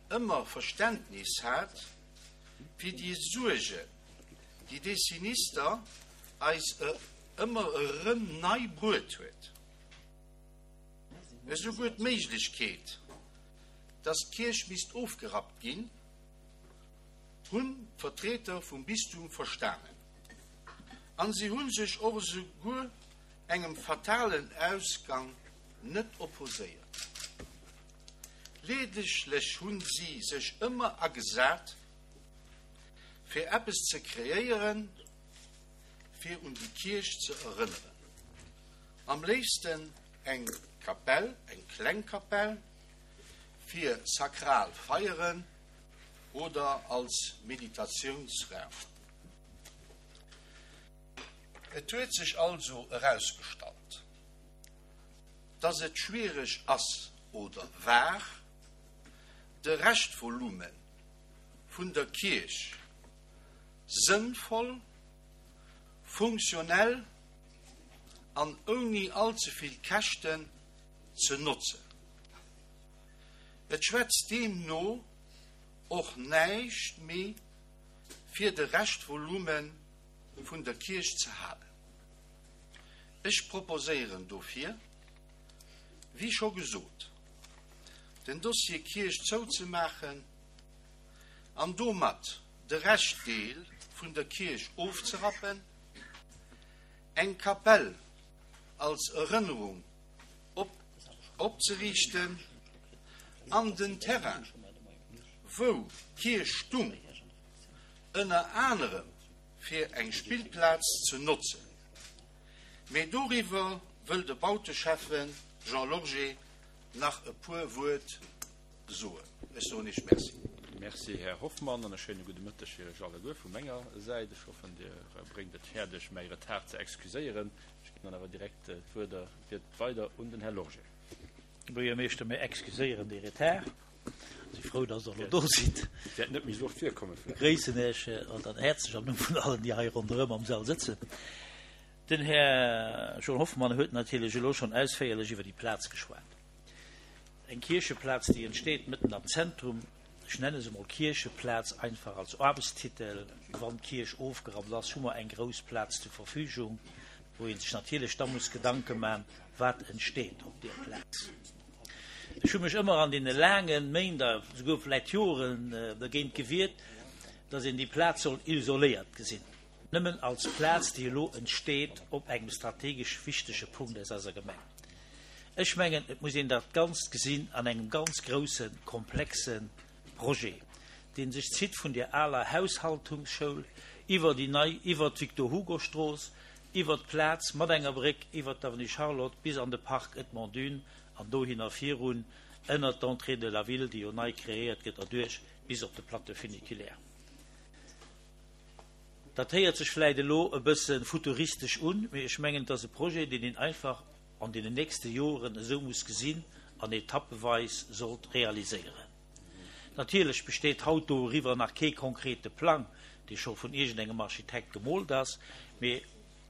K: ëmmer Verständnis hat fir déi Suergen, déi dee Sinister eis ëmmer erëm nei bruet huet. Esouguer d'Méiglechkeet, dass d'Kierch misst ofgerappt ginn, hunn d'Vertreter vum Bistum verstanen. An si hu sech och esouguer engem fatalen Ausgang net opposéiert. Leedeglech hu si sech ëmmer agesat, fir eppes ze kreéieren, fir un déi Kierch ze erënneren. Am léifsten eng Kapell, eng kleng Kapell, fir sakral Feieren oder als Meditatiounsraum. Et huet sech also erausgestallt, dass et schwiereg ass oder war, de Reschtvolume vun der Kierch sënnvoll, funktionell an ouni all ze vill Käschten ze notzen. Et schwätzt deemno och näischt méi fir de Reschtvolume vun der Kierch ze halen. Ech proposéieren dofir, wéi scho gesot, den Dossier Kierch zouzemaachen an domat de Reschtdeel vun der Kierch ofzerappen, eng Kapell als Erënnerung opzeriichten an den Terrain, wou d'Kierch stung, ënner anerem fir eng Spillplaz ze notzen. Mee doriwwer wëll de Bauteschäffe Jean Lorgé nach e puer Wuert soen. Ech soen Iech Merci.
L: Merci, Här Hoffmann, an e schéine gudde Mëtteg fir Iech alleguer vu menger Säit. Ech hoffen, Dir bréngt et fäerdeg, mäi Retard ze excuséieren. Ech ginn dann awer direkt d'Wuert weider un den Här Lorgé.
B: Buergermeeschter, mir excuséieren dee Retard. Si frou, dass Der elo do sidd.
L: Wäert net méi esou oft virkommen
B: vläicht. Begréissen Iech dann häerzlech am Numm vun allen, déi hei ronderëm am Sall sëtzen. Den Här Jean Hoffmann huet natierlech elo schonn ausféierlech iwwer déi Plaz geschwat. Eng Kiercheplaz, déi entsteet mëtten am Zentrum. Ech nenne se emol Kiercheplaz, einfach als Aarbechtstitel. Wann d'Kierch ofgerappt ass, hu mer eng grouss Plaz zur Verfügung, wou ee sech natierlech da muss Gedanke man, wat entsteet op deer Plaz. Ech hu mech ëmmer an deene laange Méint a souguer vläicht Joren dergéint gewiert, dass een déi Plaz soll isoléiert gesinn, nëmmen als Plaz, déi elo entsteet op engem strategesch wichtege Punkt aus eiser Gemeng. Ech mengen, et muss een dat Ganzt gesinn an engem ganz grousse, komplexe Projet, dee sech zitt vun der aler Haushaltungsschoul iwwer déi nei, iwwer d'Victor-Hugo-Strooss, iwwer d'Plaz mat enger Bréck iwwer d'Avenue Charlotte bis an de Parc Edmond Dune an dohinner virun ënnert d'Entrée de la ville, déi jo nei kreéiert gëtt, erduerch bis op de Plateau funiculaire. Dat héiert sech vläit elo e bësse futuristesch un, mee ech mengen, et ass e Projet, deen een einfach an deenen nächste Joren esou muss gesinn an etappeweis sollt realiséieren. Natierlech besteet haut doriwwer nach kee konkrete Plang, dee scho vun iergendengem Architekt gemoolt ass, mee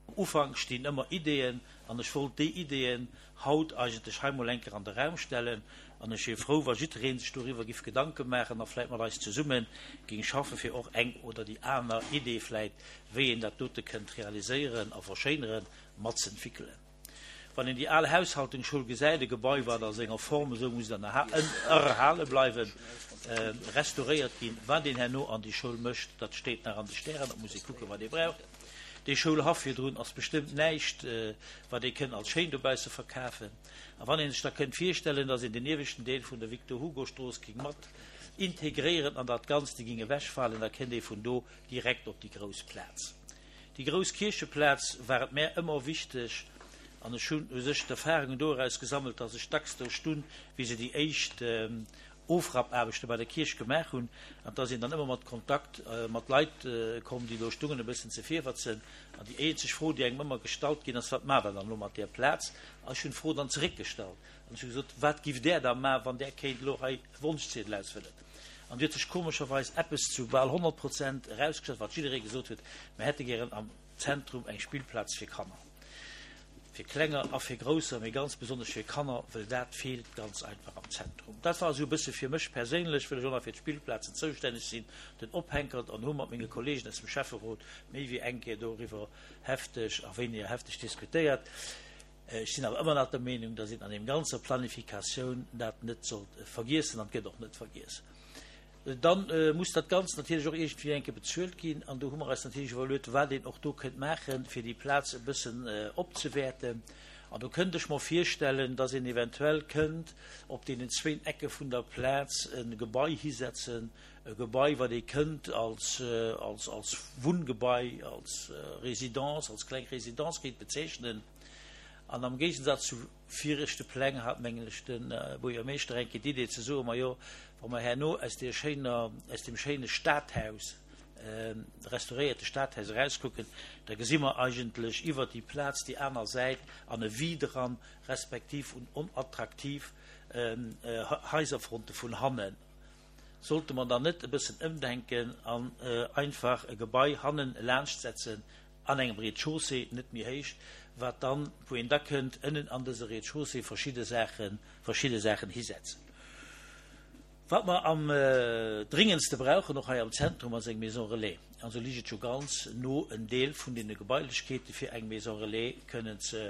B: am Ufank stinn ëmmer Ideeën an ech wollt déi Ideeën haut eigentlech hei mol eng Kéier an de Raum stellen an ech wier frou, wa jidderee sech doriwwer giff Gedanke maachen a vläit mat eis zesumme géing schaffe fir och eng oder déi aner Idee vläit, wéi een dat dote kënnt realiséieren a verschéineren, matzëntwickelen. Wann een déi al Haushaltungsschoul gesäit, e Gebai, wat a senger Form esou muss erhale bleiwen, restauréiert ginn, wat een herno an déi Schoul mécht, dat steet nach an de Stären, dat muss ee kucken, wat ee braucht. Dee Schoulhaff virdrun ass bestëmmt näischt, wat ee kënnt als schéin dobausse verkafen. A wann ee sech da kënnt virstellen, datt een den ieweschten Deel vun der Victor-Hugo-Strooss géing mat integréieren an dat Ganzt géing ewechfalen, da kënnt ee vun do direkt op déi grouss Plaz. Déi grouss Kiercheplaz war et mär ëmmer wichteg, an ech hunn u sech d'Erfahrungen doraus gesammelt, datt ech dacks do stunn, wéi se déi éischt Ofrappaarbechte bei der Kierch gemaach hunn, an et ass een dann ëmmer mat Kontakt mat Leit komm, déi do stungen, e bëssen ze virwërtzen. An déi eenzeg Fro, déi engem ëmmer gestallt ginn ass, Wat maacht Der dann elo mat där Plaz? An ech hunn d'Fro dann zeréckgestallt an ech hu gesot, Wat giff Der da maachen, wann Der kéint elo hei e Wonschziedel ausfëllen? An et huet sech komescherweis eppes zu bal honnert Prozent erausgestallt, wat jidderee gesot huet, Mir hätte gären am Zentrum eng Spillplaz fir Kanner. Fir Klenger a fir Grousser, mee ganz besonnesch fir Kanner, wëll dat feelt ganz einfach am Zentrum. Dat war esou e bësse fir mech perséinlech, wëll ech och nach fir d'Spillplazen zoustänneg sinn, den Ophänkert an hu mat menge Kollegen aus dem Schäfferot méi wéi eng Kéier doriwwer hefteg a wéiniger hefteg diskutéiert. Ech sinn awer ëmmer nach der Meenung, datt een an deem ganzer Planifikatioun dat net sollt vergiessen an et gëtt och net vergiess. Dann muss dat Ganzt natierlech och iergendwéi eng Kéier bezuelt ginn. An do hu mer eis natierlech iwwerluet, wat een och do kënnt maachen, fir déi Plaz e bëssen opzewäerten. An do kënnt ech mer virstellen, dass een eventuell kënnt op deenen zwéin Ecke vun der Plaz e Gebai hisetzen, e Gebai, wat ee kënnt als, als, als Wunngebai, als Résidence, als kleng Résidence kéint bezeechnen. An am Géigensaz zu viregte Pläng hat, mengen ech, de Buergermeeschter eng Kéier d'Idee ze soen, Majo, wa mer herno aus deer schéiner, aus deem schéine Stadhaus, restauréierte Stadhaus erauskucken, da gesi mer eigentlech iwwert déi Plaz déi aner Säit an e Vide eran, respektiv un onattraktiv Haiserfronte vun hannen. Sollte mer dann net e bëssen ëmdenken an einfach e Gebai hannen laanschtsetzen, an engem Rez-de-chaussée, net méi héich, wat dann, wou een da kënnt ënnen an dëse Rez-de-chaussée verschidde Saachen, verschidde Saachen hisetzen. Wat mer am dringendste brauchen, och hei am Zentrum, ass eng Maison relais. An esou liicht et jo ganz no, en Deel vun deene Gebailechkeete fir eng Maison relais kënnen ze,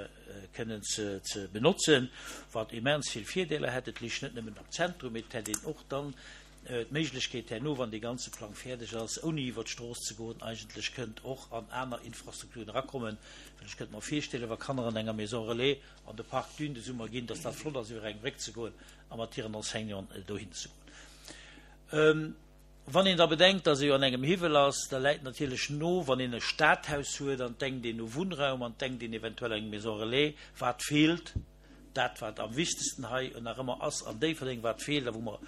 B: kënnen ze, ze benotzen, wat immens vill Virdeeler hätt. Et liicht net nëmmen am Zentrum, mee et hätt een och dann d'Méiglechkeet herno, wann dee ganze Plang fäerdeg ass, ouni iwwert d'Strooss ze goen, eigentlech kënnt och an aner Infrastrukturen erakommen. Well ech kënnt mer virstellen, wa Kanner an enger Maison relais an de Parc Dune de Summer ginn, dass dat flott ass, iwwer eng Bréck ze goen a mat hiren Enseignanten dohin ze goen. Wann een da bedenkt, dass ee jo an engem Hiwwel ass, da läit natierlech no, wann een e Stadhaus huet an et denkt een u Wunnraum an et denkt een eventuell eng Maison relais, wat feelt, dat wat am wichtegsten hei nach ëmmer ass an Déifferdeng, wat feelt a wou mer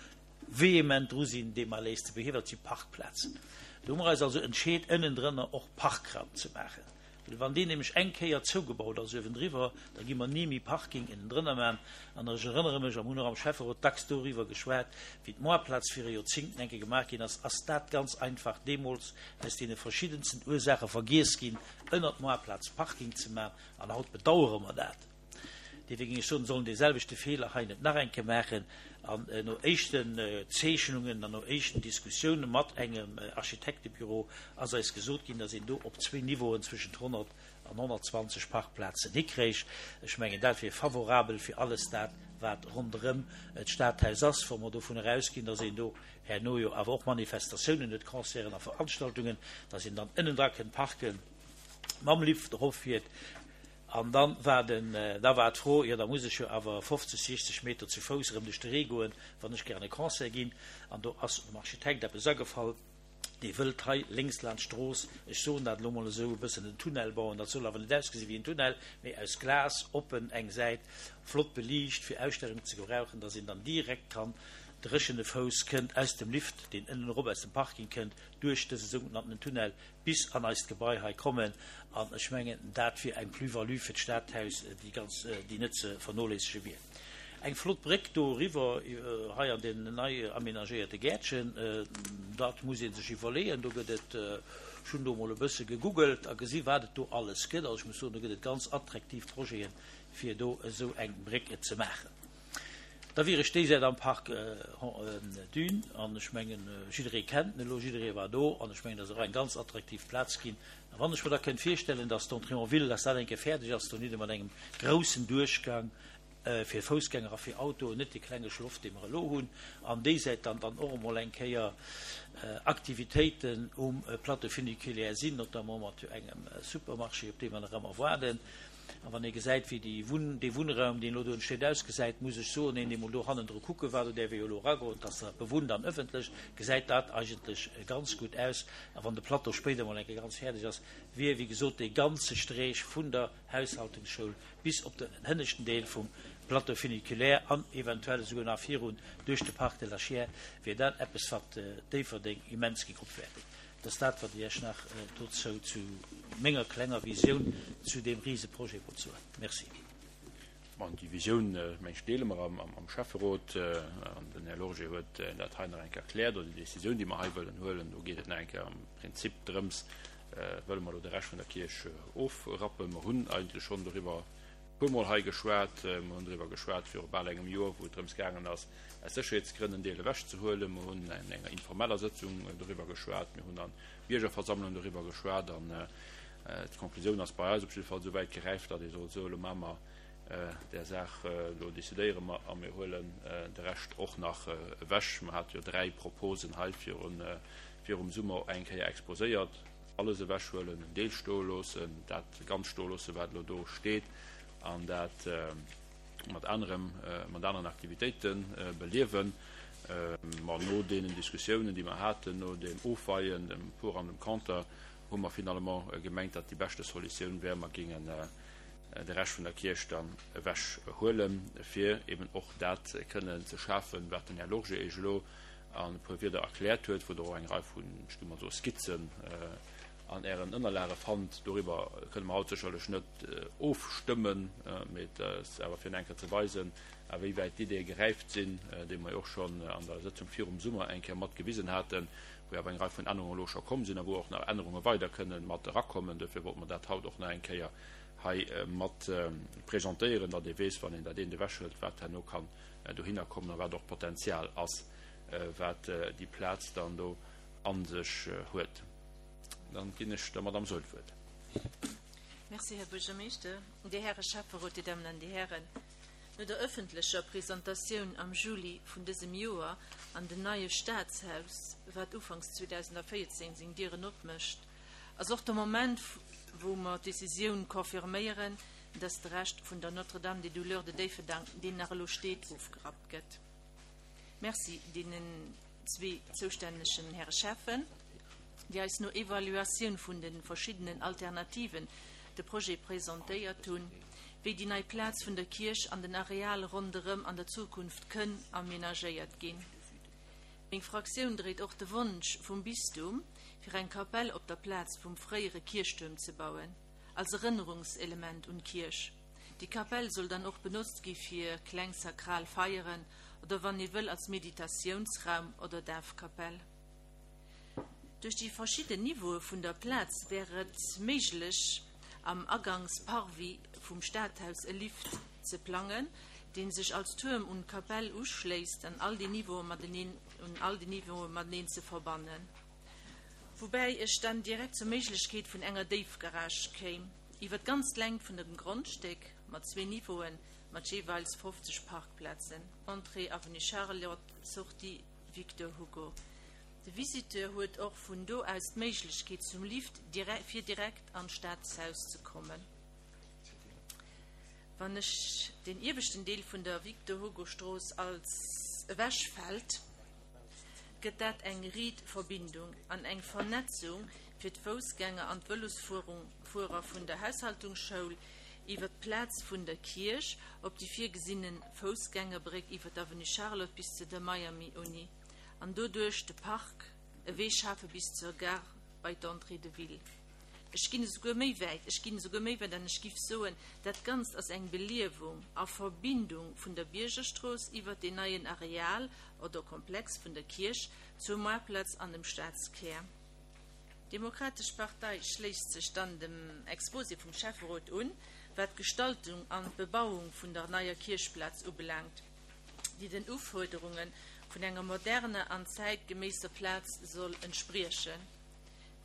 B: vehement dru sinn, dee Malaise ze behiewen, dat si Parkplazen. Do hu mer eis also entscheet, ënnendrënner och Parkraum ze maachen. Well wann deen nämlech eng Kéier zougebaut ass uewendriwwer, da gi mer ni méi Parking ënnendrënner maachen. An ech erënnere mech, a mir hunn och am Schäfferot dacks doriwwer geschwat, wéi d'Moarplaz viru Joerzingten eng Kéier gemaach ginn ass, ass dat ganz einfach deemools aus deene verschiddensten Ursaache vergiess ginn, ënnert d'Moarplaz Parking ze maachen. An haut bedauere mer dat. Dofir géing ech soen, sollen dee selwechte Feeler hei net nach eng Kéier maachen. An no éischten Zeechnungen an no éischten Diskussioune mat engem Architektebüro ass eis gesot ginn, datt een do op zwee Niveauen zwëschent honnert an honnertzwanzeg Parkplazen hikréich. Ech mengen, dat wier favorabel fir alles dat, wat ronderëm d'Stadhaus ass, wa mer dovun erausginn, datt een do herno jo awer och Manifestatiounen huet, Concerten a Veranstaltungen, datt een dann ënnendra kënnt parken, mam Lift eropfiert. An dann war den, da war d'Fro, jo da muss ech jo awer fofzeg, siechzeg Meter zu Fouss erëm duerch de Ree goen, wann ech gär an e Concert ginn. An do ass dem Architekt eppes agefall, dee wëllt hei lénks laanscht d'Strooss, ech soen dat elo mol esou, e bëssen en Tunnel bauen. Dat soll awer net ausgesi wéi en Tunnel, mee aus Glas, oppen eng Säit, flott beliicht, fir Ausstellungen ze gebrauchen, dass een dann direkt kann dréchene Fouss kënnt aus dem Lift, deen ënnen erop aus dem Parking kënnt, duerch dëse sougenannten Tunnel bis an eist Gebai hei kommen. An ech mengen, dat wier eng Plus-value fir d'Stadhaus, déi ganz, déi net ze vernoléissege wier. Eng flott Bréck do eriwwer hei an deen nei aménagéierte Gäertchen, dat muss ee sech iwwerleeën. Do gëtt et, ech hunn do emol e bësse gegoogelt a gesi wat et do alles gëtt. Also ech muss soen, do gëtt et ganz attraktiv Projeten, fir do esou eng Bréck ze maachen. Da wier ech déi Säit am Parc Dune, an ech mengen, jidderee kennt en elo, jidderee war do, an ech mengen, dat ass och eng ganz attraktiv Plaz ginn. A wann ech mer da kënnt virstellen, dass d'Entrée en ville, dass dat eng Kéier fäerdeg ass, dohinne mat engem groussen Duerchgang fir Foussgänger a fir Autoen, net dee klenge Schloff, dee mer elo hunn, an déi Säit dann dann och emol eng Kéier Aktivitéiten um Plateau funiculaire sinn, notamment mat engem Supermarché, op dee mer nach ëmmer waarden. A wann ee gesäit, wéi déi Wunn, dee Wunnraum, deen elo do entsteet, ausgesäit, muss ech soen, een, dee mol do hannendru kucke war, do däerf ee jo elo eragoen, et ass nach bewunnt an ëffentlech, gesäit dat eigentlech ganz gutt aus. A wann de Plateau spéider mol eng Kéier ganz fäerdeg ass, wier, wéi gesot, dee ganze Streech vun der Haushaltungsschoul bis op den hënneschten Deel vum Plateau funiculaire an eventuell esouguer nach virun duerch de Parc de la Chiers, wier dat eppes, wat Déifferdeng immens géing opwäerten. Dat ass dat, wat ech Iech nach dozou zu menger klenger Visioun zu deem Riseprojet wollt soen. Merci.
L: Bon, déi Visioun, meng ech, deele mer am Schäfferot. An den Här Lorgé huet dat hei nach eng Kéier erkläert, oder déi Décisioun, déi mer hei wëllen huelen. Do geet et nach eng Kéier am Prinzip drëms, wëlle mer elo de Rescht vun der Kierch ofrappen. Mer hunn eigentlech schonn doriwwer e puermol hei geschwat. Mer hunn doriwwer geschwat viru bal engem Joer, wou et drëms gaangen ass, aus Sécherheetsgrënn en Deel ewechzehuelen. Mer hunn an enger informeller Sëtzung doriwwer geschwat. Mir hunn an Biergerversammlung doriwwer geschwat. An d'Konklusioun ass bei eis op jidde Fall esou wäit geräift, datt ee soll soen, elo maache mer där Saach, elo decidéiere mer a mir huelen de Rescht och nach ewech. Mer hate jo dräi Proposen hei virum Summer eng Kéier exposéiert. Alles ewechhuelen, en Deel stoe loossen, dat ganz stoe loossen, wat elo do steet, an dat mat anerem, mat aneren Aktivitéite beliewen. Ma no deenen Diskussiounen, déi mer haten, no dem Ofweien, dem Pour an dem Conter, hu mer finalement gemengt, datt déi beschte Solutioun wär, mer géingen de Rescht vun der Kierch dann ewechhuelen, fir eben och dat kënnen ze schafen, wat den Här Lorgé Iech elo an e puer Wierder erkläert huet, wou Der och eng Rei vun, ech géing mol soen, Skizzen an Ären Ënnerlage fannt. Doriwwer kënne mer haut sécherlech net ofstëmmen, mee et ass awer fir eng Kéier ze weisen, a wéi wäit d'Ideeë geräift sinn, déi mer jo och schonn an der Sëtzung virum Summer eng Kéier mat gewisen haten, wou awer eng Rei vun Ännerungen elo scho komm sinn a wou och nach Ännerunge weider kënne mat erakommen. Dofir wollte mer dat haut och nach eng Kéier hei mat presentéieren, datt ee weess, wann een dat eent ewechhëlt, wat herno kann dohinner kommen a wat och d'Potenzial ass, wat déi Plaz dann do a sech huet. Dann ginn ech der Madame Saeul d'Wuert.
C: Merci, Här Buergermeeschter, Dir Häre Schäfferot, Dir Dammen an Dir Hären. No der ëffentlecher Presentatioun am Juli vun dësem Joer an den neie Staatshaus, wat ufanks zweedausendvéierzéng seng Dieren opmécht, ass och de Moment, wou mer d'Decisioun confirméieren, dass de Rescht vun der Notre-Dame des Douleurs de Déifferdang, deen nach elo steet, ofgerappt gëtt. Merci deenen zwee zoustännegen Häre Schäffen, déi eis no Evaluatioun vun de verschiddenen Alternativen de Projet presentéiert hunn, wéi déi nei Plaz vun der Kierch an den Areal ronderëm an der Zukunft kënn amenagéiert ginn. Meng Fraktioun dréit och de Wonsch vum Bistum, fir eng Kapell op der Plaz vum fréiere Kierchtuerm ze bauen, als Erënnerungselement un d'Kierch. Déi Kapell soll dann och benotzt gi fir kleng sakral Feieren oder wann ee wëll als Meditatiounsraum oder Dafkapell. Duerch déi verschidden Niveaue vun der Plaz wär et méiglech, am Agangs-Parvis vum Stadhaus e Lift ze plangen, dee sech als Tuerm un d'Kapell uschléisst an all déi Niveaue mateneen un all déi Niveaue mateneen ze verbannen. Woubäi ech dann direkt zur Méiglechkeet vun enger Déifgarage kéim, iwwer d'ganz Längt vun dem Grondstéck mat zwee Niveauen, mat jeeweils fofzeg Parkplazen, Entrée Avenue Charlotte, Sortie Victor Hugo. De Visiteur huet och vun do aus d'Méiglechkeet zum Lift fir direkt an d'Staatshaus ze kommen. Wann ech den ieweschten Deel vun der Victor Hugo Strooss als ewechfält, gëtt dat eng riit Verbindung an eng Vernetzung fir d'Foussgänger an d'Vëlosfuerer vun der Haushaltungsschoul iwwer d'Plaz vun der Kierch op déi virgesinne Foussgängerbréck iwwer d'Avenue Charlotte bis zu der Miami Uni an doduerch de Park e Wee schafe bis zur Gare bei d'Entrée de ville. Ech ginn esouguer méi wäit, ech ginn esouguer méi wäit an ech giff soen, dat Ganzt ass eng Beliewung a Verbindung vun der Biergerstrooss iwwert deen neien Areal oder Komplex vun der Kierch zur Moartplaz an dem Stadskär. D'Demokratesch Partei schléisst sech dann dem Exposé vum Schäfferot un, wat d'Gestaltung an d'Bebauung vun der neier Kierchplaz ubelaangt, déi den Ufuerderunge vun enger moderner an zäitgeméisser Plaz soll entspriechen,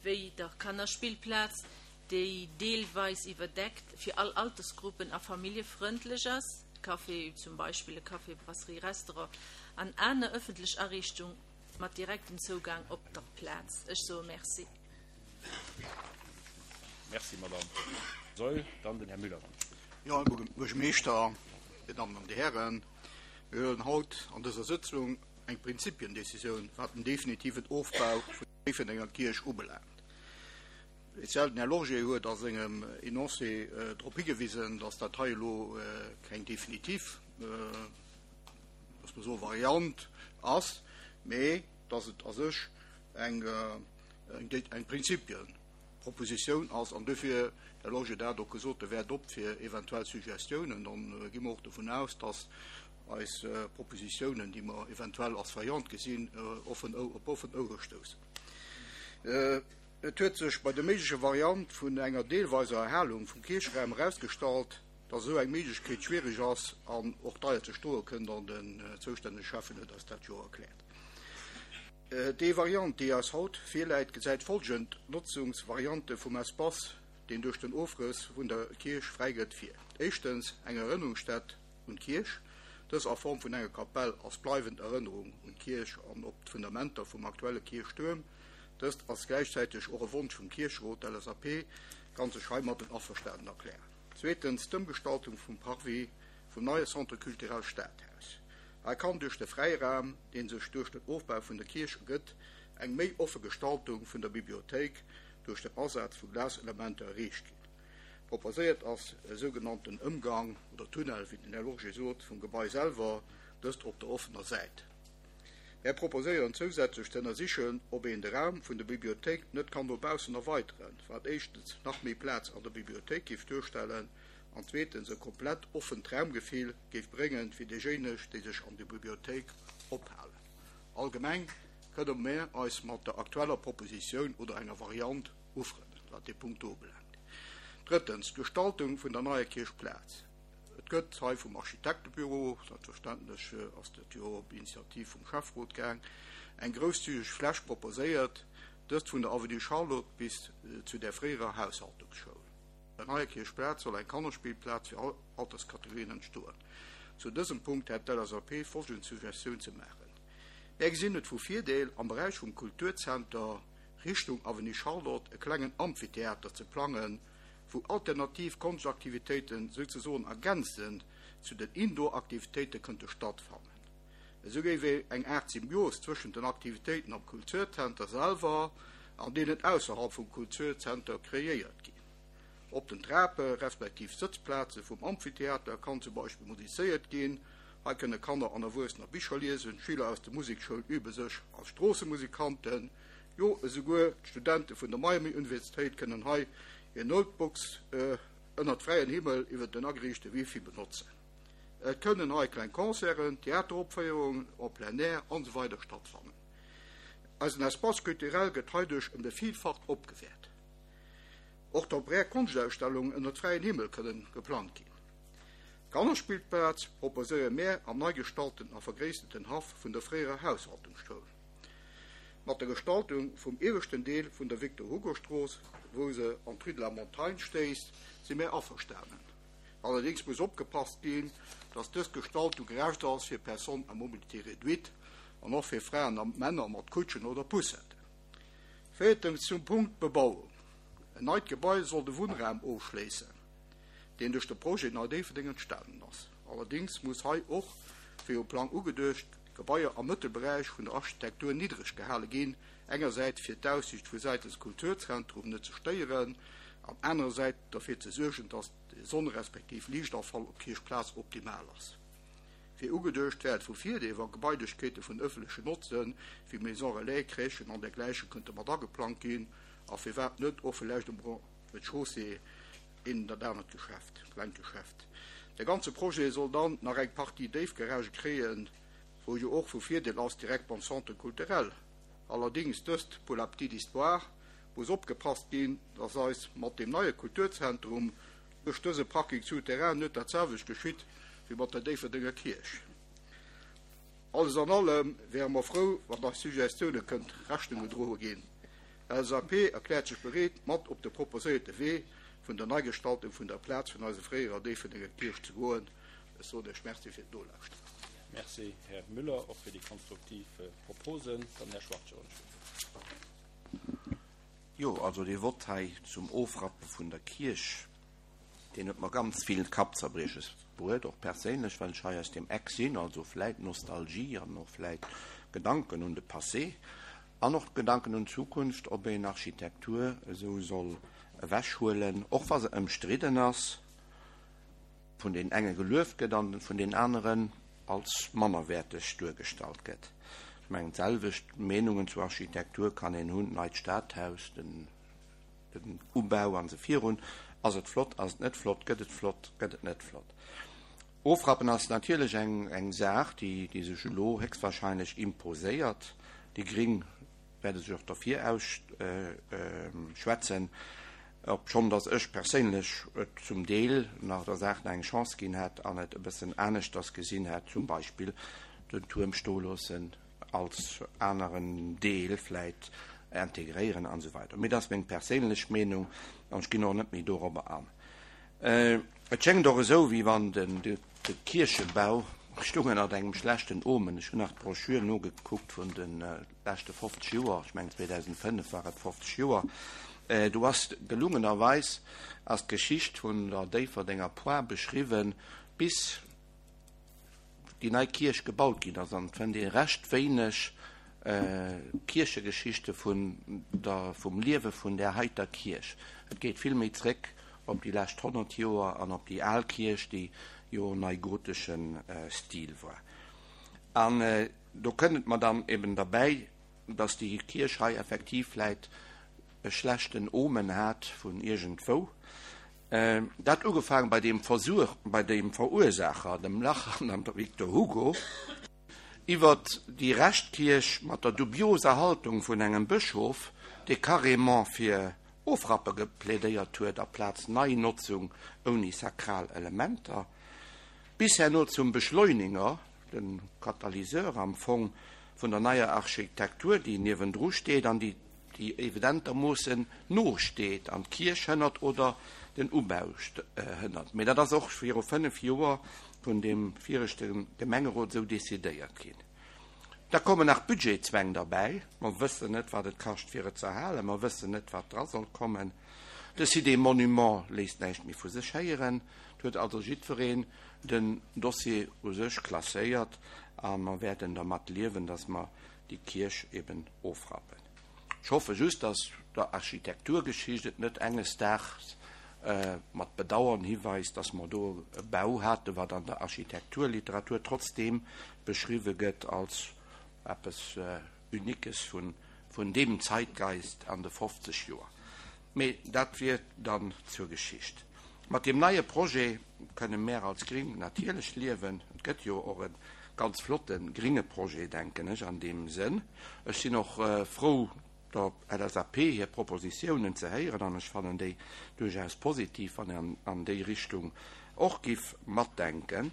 C: wéi der Kannerspillplaz, déi deelweis iwwerdeckt fir all Altersgruppen a familljefrëndlech ass, Café, zum Beispill e Café, Brasserie, Restaurant an aner ëffentlech Ariichtung mat direktem Zougang op der Plaz. Ech soe Merci.
L: Merci, Madame Saeul. Dann den Här Müller.
D: Jo, Här Buergermeeschter, Dir Dammen an Dir Hären, mir huelen haut an dëser Sëtzung eng Prinzipiendecisioun, wat den definitiven Ofbau vun der Déifferdenger Kierch ubelaangt. Speziell den Här Lorgé huet a sengem Enoncé drop higewisen, dass dat hei elo keng definitiv, loosse mer soen, Variant ass, mee dass et a sech eng eng Prinzipienpropositioun ass. An dofir, Här Lorgé, dat och gesot, e wäert op fir eventuell Suggestiounen. Dann gi mer och dovun aus, dass eis Propositiounen, déi mer eventuell als Variant gesinn, offen op offen Ouere stoussen. Et huet sech bei der méiglecher Variant vun enger deelweiser Erhalung vum Kiercheraum erausgestallt, dass esou eng Méiglechkeet schwierig ass an och deier ze stoe kënnt, an den zoustännege Schäffen huet eis dat jo erkläert. Déi Variant, déi eis haut virläit, gesäit folgend Notzungsvariante vum Espace, deen duerch den Ofrëss vun der Kierch fräi gëtt, vir. Éischtens eng Erënnerungsstätt un d'Kierch, dës a Form vun enger Kapell als bleiwend Erënnerung un d'Kierch an op d'Fundamenter vum aktuelle Kierchtuerm. Dëst ass gläichzäiteg och e Wonsch vum Kiercherot. D'L S A P kann sech heimadden averstanen erklären. Zweetens d'Ëmgestaltung vum Parvis vum neie Centre culturel Stadhaus. Hei kann duerch de Fräiraum, dee sech duerch den Ofbau vun der Kierch ergëtt, eng méi offe Gestaltung vun der Bibliothéik duerch den Asaz vu Glaselementer erreecht ginn. Proposéiert ass e sougenannten Ëmgang oder Tunnel, wéi den Här Lorgé sot, vum Gebai selwer, dëst op der offener Säit. Mär proposéieren zousätzlech ze ënnersichen, ob een de Raum vun der Bibliothéik net kann no baussen erweideren, wat éischtens nach méi Plaz an der Bibliothéik géif duerstellen an zweetens e komplett offent Raumgefill géif bréngen fir déijéineg, déi sech an der Bibliothéik ophalen. Allgemeng kënne mär eis mat der aktueller Propositioun oder enger Variant ufrënnen, wat dee Punkt do ubelaangt. Drëttens, d'Gestaltung vun der neier Kierchplaz. Et gëtt hei vum Architektebüro, selbstverständlech ass dat jo op Initiativ vum Schäfferot gaang, eng grousszügeg Fläch proposéiert, dëst vun der Avenue Charlotte bis zu der fréierer Haushaltungsschoul. Op der neier Kierchplaz soll eng Kannerspillplaz fir all Alterskategorien entstoen. Zu dësem Punkt hätt d'LSAP folgend Suggestioun ze maachen. Mär gesinn et vu Virdeel, am Beräich vum Kulturzenter Richtung Avenue Charlotte e klengen Amphitheater ze plangen, wou alternativ Konschtaktivitéiten souzesoen ergänzend zu den Indoor-Aktivitéite kënnte stattfannen. Esou géif eng Aart Symbios zwëschent den Aktivitéiten am Kulturzenter selwer an deenen ausserhalb vum Kulturzenter kreéiert ginn. Op den Trape respektiv Sëtzplaze vum Amphitheater kann zum Beispill musizéiert ginn. Hei kënne Kanner an Erwuessener Bicher liesen, Schüler aus der Musekschoul übe sech als Stroossemusikanten, jo esouguer d'Studente vun der Miami-Universitéit kënnen hei hir Notebooks ënnert fräiem Himmel iwwer den ageriichte Wifi benotzen. Et kënnen hei kleng Concerten, Theateropféierungen en plein air an esou weider stattfannen. Eisen Espace culturel gëtt heiduerch ëm de Villfacht opgewäert. Och temporär Konschtausstellungen ënnert fräiem Himmel kënnen geplangt ginn. D'Kannerspillplaz proposéiere mär am nei gestalten a vergréisserten Haff vun der fréierer Haushaltungsschoul. Mat der Gestaltung vum ieweschten Deel vun der Victor-Hugo-Strooss, wou se an d'Rue de la Montagne stéisst, si mär averstanen. Allerdéngs muss opgepasst ginn, dass dës Gestaltung gerecht ass fir Personnes à mobilité réduite an och fir Fraen a Männer mat Kutschen oder Poussetten. Véiertens zum Punkt Bebauung. En neit Gebai soll de Wunnraum ofschléissen, deen duerch de Projet Nei Déifferdeng entstanen ass. Allerdéngs muss hei och, wéi um Plang ugeduecht, d'Gebaier am Mëttelberäich vun der Architektur niddreg gehale ginn, engersäits fir d'Aussiicht vu säitens Kulturzentrum net ze stéieren an anerersäits derfir ze suergen, dass de Sonne respektiv Liichtafall op d'Kierchplaz optimal ass. Wéi ugeduecht wär et vu Virdeel, wa Gebailechkeete vun ëffentlechen Notze wéi Maison relais, Crèchen an dergläiche kënnte mat ageplangt ginn a firwat net och villäicht um Rez-de-chaussée een dat anert Geschäft, klengt Geschäft. De ganze Projet soll dann nach eng Partie Déifgaragë kréien, wou jo och vu Virdeel ass direkt beim Centre culturel. Allerdéngs, dëst pour la petite histoire, muss opgepasst ginn, dass eis mat deem neie Kulturzentrum duerch dëse Parking souterrain net dat selwecht geschitt wéi mat der Déifferdenger Kierch. Alles an allem wäre mer frou, wann eis Suggestioune kënnt Rechnung gedroe ginn. L S A P erkläert sech bereet, mat op de proposéierte Wee vun der Neigestaltung vun der Plaz vun eiser fréierer Déifferdenger Kierch ze goen. Ech soen Iech Merci fir d'Nolauschteren.
L: Merci, Här Müller, och fir déi konstruktiv Proposen. Dann Här Schwachtgen.
E: Jo, also dee Vott hei zum Ofrappe vun der Kierch, deen huet mer ganz vill Kappzerbrieches bruet, och perséinlech, well ech hei aus deem Eck sinn, also vläit Nostalgie an och vläit Gedanken un de Passé an och Gedanken un d'Zukunft, ob een Architektur esou soll ewechhuelen, och wa se ëmstridden ass, vun den enge gelueft gëtt an vun den aneren als mannerwäerteg duergestallt gëtt. Ech mengen, d'selwecht Meenungen zur Architektur kann een hunn, d'neit Stadhaus, den den Ubau an esou virun. Ass et flott, ass et net flott, gëtt et flott, gëtt et net flott? Ofrappen ass natierlech eng eng Saach, déi déi sech elo héchstwahrscheinlech imposéiert. Déi Gring wäerte sech och derfir ausschwätzen, obschonn datt ech perséinlech et zum Deel nach der Saach nach eng Chance ginn hätt an et e bëssen aneschters gesinn hätt, zum Beispill den Tuerm stoeloossen, als aneren Deel vläit integréieren an esou weider. Mee dat ass meng perséinlech Meenung an ech ginn och net méi dorobber an. Et schéngt och esou, wéi wann de Kierchebau stung ënnert engem schlechten Omen. Ech hunn nach d'Broschür nogekuckt vun de leschte fofzeg Joer, ech mengen zweedausendfënnef war et fofzeg Joer, do ass gelungenerweis ass d'Geschicht vun der Déifferdenger Poire beschriwwen bis déi nei Kierch gebaut ginn ass, an et fënnt ee recht wéineg Kierchegeschichte vun der, vum Liewe vun där heiter Kierch. Et geet vill méi zréck op déi lescht honnert Joer an op déi al Kierch, déi jo neigotesche Stil war. An do kënnt et mer dann eben derbäi, dass déi Kierch hei effektiv vläit e schlechten Omen hat vun iergendwou. Dat ugefaangen bei deem Versuch, bei deem Verursaacher, dem Lach an der Victor Hugo, iwwert déi Reschtkierch mat der dubioser Haltung vun engem Bëschof, dee carrément fir Ofrappe geplädéiert huet aplaz Neinotzung ouni sakral Elementer, bis herno zum Beschleuniger, de Katalyseur am Fong vun der neier Architektur, déi niewendru steet an déi déi evidentermoossen nosteet an d'Kierch hënnert oder den Ubau hënnert. Mee dat ass och viru fënnef Joer vun deem viregte Gemengerot esou decidéiert ginn. Da kommen nach Budgetzwäng derbäi. Mer wëssen net, wat et kascht, fir et ze erhalen. Mer wëssen net, wat dra soll kommen. De Site des Monuments léisst näischt méi vu sech héieren. Et huet also jiddwereen den Dossier u sech klasséiert a mer wäerten dermat liewen, dass mer déi Kierch eben ofrappen. Ech hoffe just, dass der Architekturgeschicht et net enges Daags mat Bedauern hiweist, dass mer do e Bau haten, wat an der Architekturliteratur trotzdeem beschriwwe gëtt als eppes Uniques vun deem Zeitgeist an de fofzeg Joer. Mee dat wier dann zur Geschicht. Mat deem neie Projet kënne mär als Gring natierlech liewen. Et gëtt jo och e ganz flotte gringe Projet, denken ech, an deem Sënn. Ech sinn och frou, der L S A P hir Propositiounen ze héieren an ech fannen déi duerchaus positiv, wann een an déi Richtung och giff matdenken.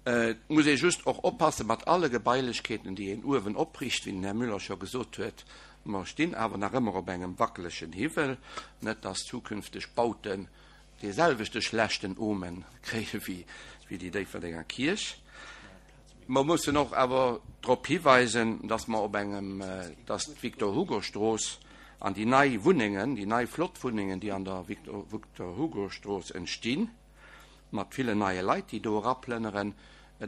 E: Et muss ee just och oppasse mat alle Gebailechkeeten, déi een uewen opriicht, wéi den Här Müller scho gesot huet. Mer stinn awer nach ëmmer op engem wackelegen Hiwwel, net dass zukünfteg Bauten dee selwechte schlechten Omen kréie wéi déi Déifferdenger Kierch. Mer mussen och awer drop hiweisen, dass mer op engem, dass d'Victor-Hugo-Strooss an déi nei Wunnengen, déi nei flott Wunnengen, déi an der Victor-Hugo-Strooss entstinn, mat villen neie Leit, déi do eraplënneren,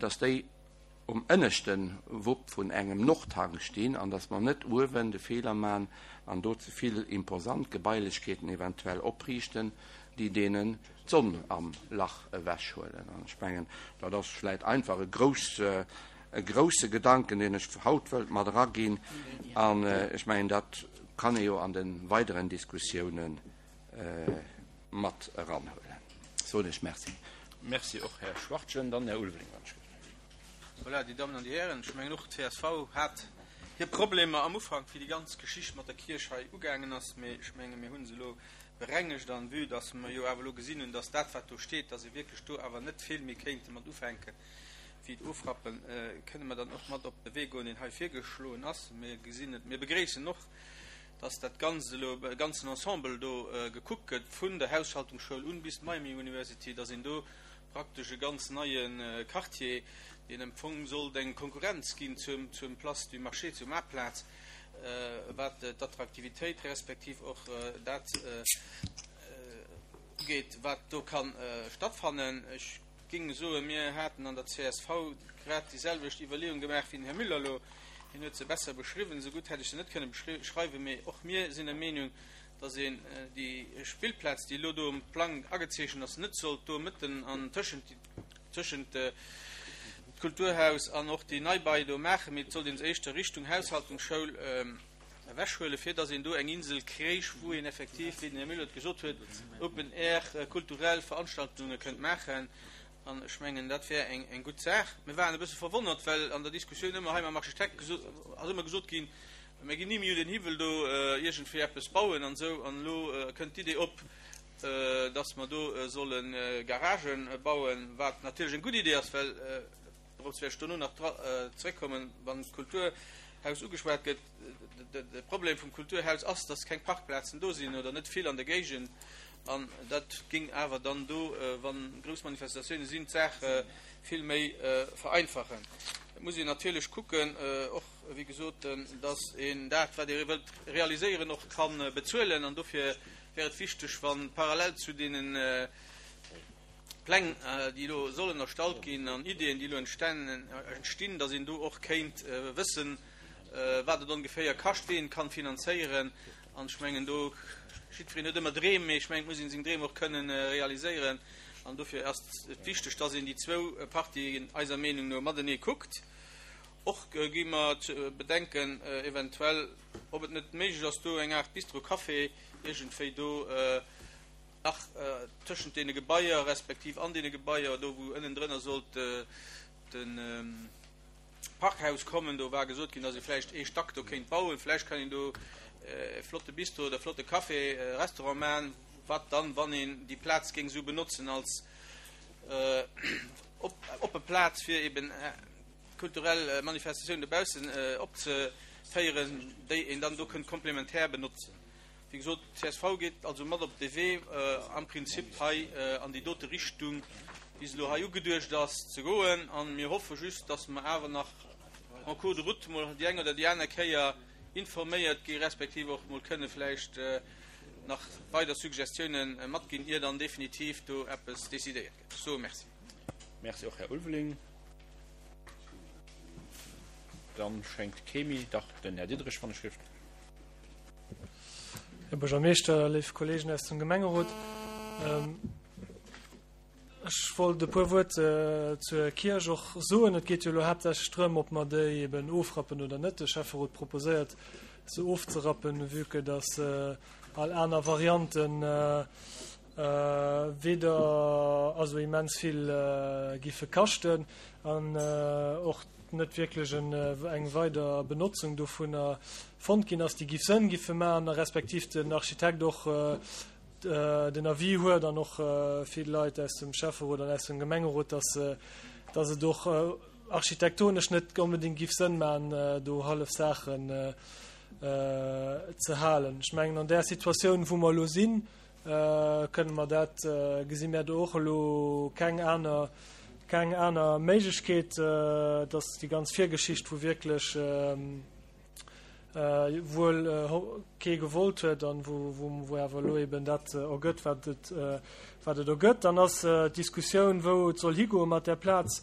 E: dass déi um ënneschte Wupp vun engem Nordhank stinn an dass mer net uewen de Feeler maachen an do ze vill imposant Gebailechkeeten eventuell opriichten, déi deenen d'Sonn am Lach ewechhuelen. An ech mengen, dat ass vläicht einfach e grouss, e grousse Gedanken, deen ech haut wëllt mat eraginn. An ech mengen, dat kann ee jo an de weideren Diskussiounen mat eranhuelen. Soen ech Merci.
L: Merci och, Här Schwachtgen. Dann Här Ulveling, wann ech gelift.
M: Voilà, Dir Dammen an Dir Hären, ech mengen och d'C S V hat hir Problemer am Ufank, wéi déi ganz Geschicht mat der Kierch hei ugaangen ass, mee ech menge mir hu se elo berengegt an vue dass mer jo awer elo gesinn hunn, dass dat wat do steet, dass ee wierklech do awer net vill méi kéinte mat ufänken wéi et ofrappen, kënne mer dann och mat op de Wee goen, deen hei virgeschloen ass. Mir gesinn et, mir begréissen och, dass dat Ganzt elo, e ganzen Ensemble do gekuckt gëtt, vun der Haushaltungsschoul un bis d'Miami University, dass een do praktesch e ganz neie Quartier, deen am Fong sollt eng Konkurrenz ginn zum, zum Place du Marché, zur Maartplaz, wat d'Attraktivitéit respektiv och dat ugeet, wat do ka stattfannen. Ech géing soen, mir haten an der C S V grad déi selwecht Iwwerleeung gemaach wéi den Här Müller elo. Hien huet se besser beschriwwen, esou gutt hätt ech se net kënne beschreiwen, mee och mir sinn der Meenung, dass een déi Spillplaz, déi elo do um Plang agezeechent ass, net sollt do mëtten an tëschent tëschent d'Kulturhaus an och déi Neibai do maachen, mee et sollt een se éischter Richtung Haushaltungsschoul ewechhuelen, fir dass een do eng Insel kréich, wou een effektiv, wéi den Här Müller et gesot huet, Open Air kulturell Veranstaltunge kënnt maachen. An ech mengen, dat wär eng eng gutt Saach. Mir waren e bësse verwonnert, well an der Diskussioun ëmmer hei mam Architekt gesot, ass ëmmer gesot ginn, mir ginn ni méi un den Hiwwel do iergendwéi eppes bauen an esou. An elo kënnt d'Idee op, dass mer do solle Garagen bauen, wat natierlech eng gutt Idee ass, well, dorops wäert ech dono nach zréckkommen, wann d'Kulturhaus ugeschwat gëtt, de Problem vum Kulturhaus ass, dass keng Parkplazen do sinn oder net vill an der Géigend. An dat géing awer dann do, wa grouss Manifestatioune sinn, d'Saach vill méi vereinfachen. Et muss een natierlech kucken, och wéi gesot, dass een dat, wat ee wëllt realiséieren, och ka bezuelen. An dofir wär et wichteg, wa parallel zu deene Pläng, déi elo sollen erstallt ginn, an Ideeën, déi elo entstinn, dass een do och kéint wëssen, wat et ongeféier kascht, wéi een et kann finanzéieren. An ech mengen do, jiddwereen huet ëmmer Dreem, mee ech mengen, et muss een seng Dreem och kënnen realiséieren. An dofir ass et wichteg, dass een déi zwou Partien eiser Meenung no matenee kuckt. Och gi mer ze bedenken eventuell, ob et net méiglech ass, do eng Aart Bistro-Café iergendwéi do nach tëschent deene Gebaier, respektiv an deene Gebaier, do wou ënnendrënner sollt de Parkhaus kommen, do war gesot ginn, dass ee vläicht ee Stack do kéint bauen, vläicht kann een do e flotte Bistro oder e flotte Café, Restaurant maachen, wat dann, wann een déi Plaz géing esou benotzen als oppe Plaz fir eben kulturell Manifestatiounen dobaussen opzeféieren, déi een dann do kënnt komplementär benotzen. Wéi gesot, d'CSV geet also mat op de Wee, am Prinzip hei an déi dote Richtung, wéi se elo hei ugeduecht ass, ze goen. A mir hoffe just, dass mer awer nach en cours de route mol déi eng oder déi aner Kéier informéiert gi respektiv och mol kënne vläicht nach weider Suggestiounen matginn, ier dann definitiv do eppes decidéiert gëtt. Ech soe Merci.
L: Merci och, Här Ulveling. Dann schéngt kee méi, dach, den Här Diderich, wann ech rift.
H: Här Buergermeeschter, léif Kollegen aus dem Gemengerot, ech wollt e puer Wuert zur Kierch och soen. Et geet jo elo haaptsächlech drëm, ob mer déi eben ofrappen oder net. De Schäfferot proposéiert, se ofzerappen, vue que dass all aner Varianten weder also immens vill giffe kaschten an och net wierklech eng weider Benotzung dovunner fonnt ginn ass, déi giff Sënn giffe maachen, a respektiv den Architekt och den Avis huet an och vill Leit aus dem Schäfferot an aus dem Gemengerot, dass dass et och architektonesch net onbedéngt giff Sënn maachen, do hallef Saachen ze halen. Ech mengen, an där Situatioun, wou mer elo sinn, kënne mer dat, gesi mär do och elo keng aner, keng aner Méiglechkeet, dass déi ganz Virgeschicht, wou wierklech wuel kee gewollt huet an wou, wou awer elo eben dat ergëtt, wat et, wat et ergëtt. Dann ass d'Diskussioun, wou et soll higoe mat där Plaz.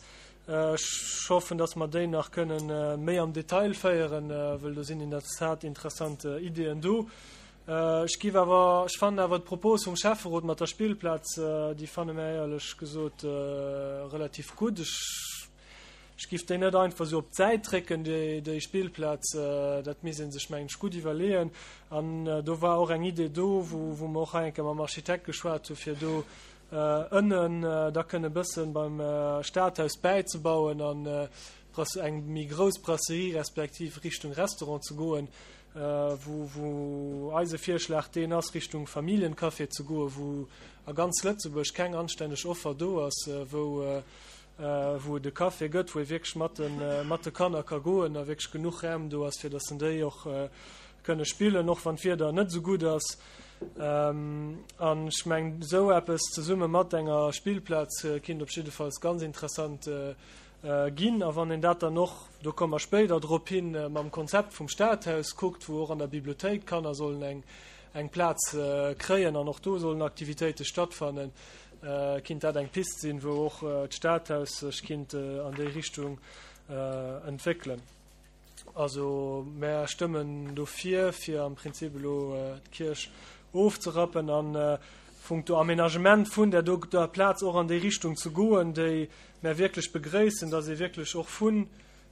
H: Ech hoffen, dass mer déi nach kënnen méi am Detail féieren, wëll do sinn in der Tat interessant Ideeën do. Ech giff awer, ech fannen awer d'Propos vum Schäfferot mat der Spillplaz, déi fanne mär éierlech gesot relativ gutt. Ech, ech giff déi net einfach esou op d'Säit drécken, déi, déi Spillplaz. Dat misst ee sech, mengen ech, gutt iwwerleeën. An do war och eng Idee do, wou, wou mer och hei eng Kéier mam Architekt geschwat hu fir do ënnen da kënne bëssen beim Stadhaus bäizebauen an eng méi grouss Brasserie respektiv Richtung Restaurant ze goen, wou, wou eise Virschlag deen ass, Richtung Familljencafé ze goen, wou a ganz Lëtzebuerg keng anstänneg Offer do ass, wou, wou et e Café gëtt, wou ee wierklech mat de, mat de Kanner ka goen a wierklech genuch Raum do ass, fir datt en déi och kënne spillen, och wann d'Wieder net esou gutt ass. An ech mengen, esou eppes zesumme mat enger Spillplaz kinnt op jiddefalls ganz interessant ginn. A wann een dat dann och, do komme mer spéider drop hin, mam Konzept vum Stadhaus kuckt, wou och an der Bibliothéik d'Kanner sollen eng, eng Plaz kréien an och do sollen Aktivitéite stattfannen, kinnt dat eng Pist sinn, wou och d'Stadhaus sech kinnt an déi Richtung entwéckelen. Also mär stëmmen dofir, fir am Prinzip elo d'Kierch ofzerappen an punkto Aménagement vun där doter Plaz och an déi Richtung ze goen, déi mär wierklech begréissen, dass ee wierklech och vun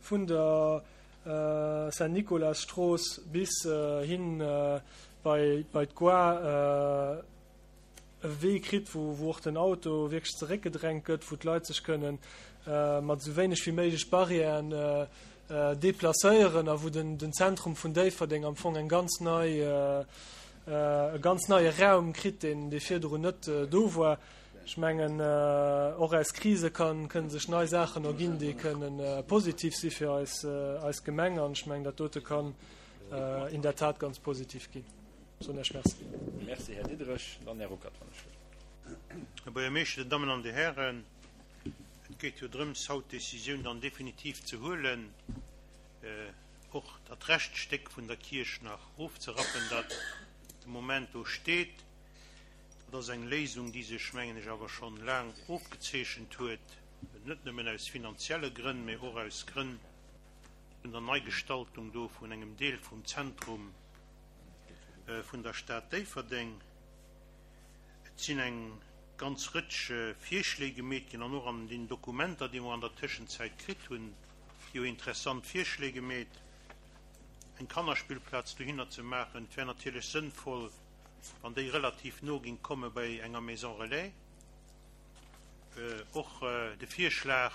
H: vun der Saint-Nicolas-Strooss bis hin bei bei d'Gare e Wee kritt, wou wou och den Auto wierklech zeréckgedrängt gëtt, wou d'Leit sech kënnen mat esou wéineg wéi méiglech Barrièren deplacéieren a wou den den Zentrum vun Déifferdeng am Fong eng ganz nei e ganz neie Raum kritt, deen dee virdrun net do war. Ech mengen, och aus Krise kann kënnen sech nei Saachen erginn, déi kënnen positiv si fir eis eis Gemeng. An ech mengen, dat dote kann in der Tat ganz positiv ginn. Soen Iech Merci.
L: Merci, Här Diderich. Dann Här Ruckert, wann ech wëll.
G: Här Buergermeeschter, Dir Dammen an Dir Hären, et geet jo drëms, haut d'Décisioun dann definitiv ze huelen, och dat Reschtstéck vun der Kierch nach ofzerappen, dat de Moment do steet. Dat ass eng Léisung, déi sech, mengen ech, awer schonn laang ofgezeechent huet, net nëmmen aus finanzielle Grënn, mä och aus Grënn vun der Neigestaltung do vun engem Deel vum Zentrum vun der Stad Déifferdeng. Et sinn eng ganz Rëtsch Virschléi gemeet ginn an och an den Dokumenter, déi mer an der Tëschenzäit kritt hunn, jo interessant Virschléi gemeet, eng Kannerspillplaz dohinner ze maachen. Et wär natierlech sënnvoll, wann déi relativ no ging komme bei enger Maison relais. Och de Virschlag,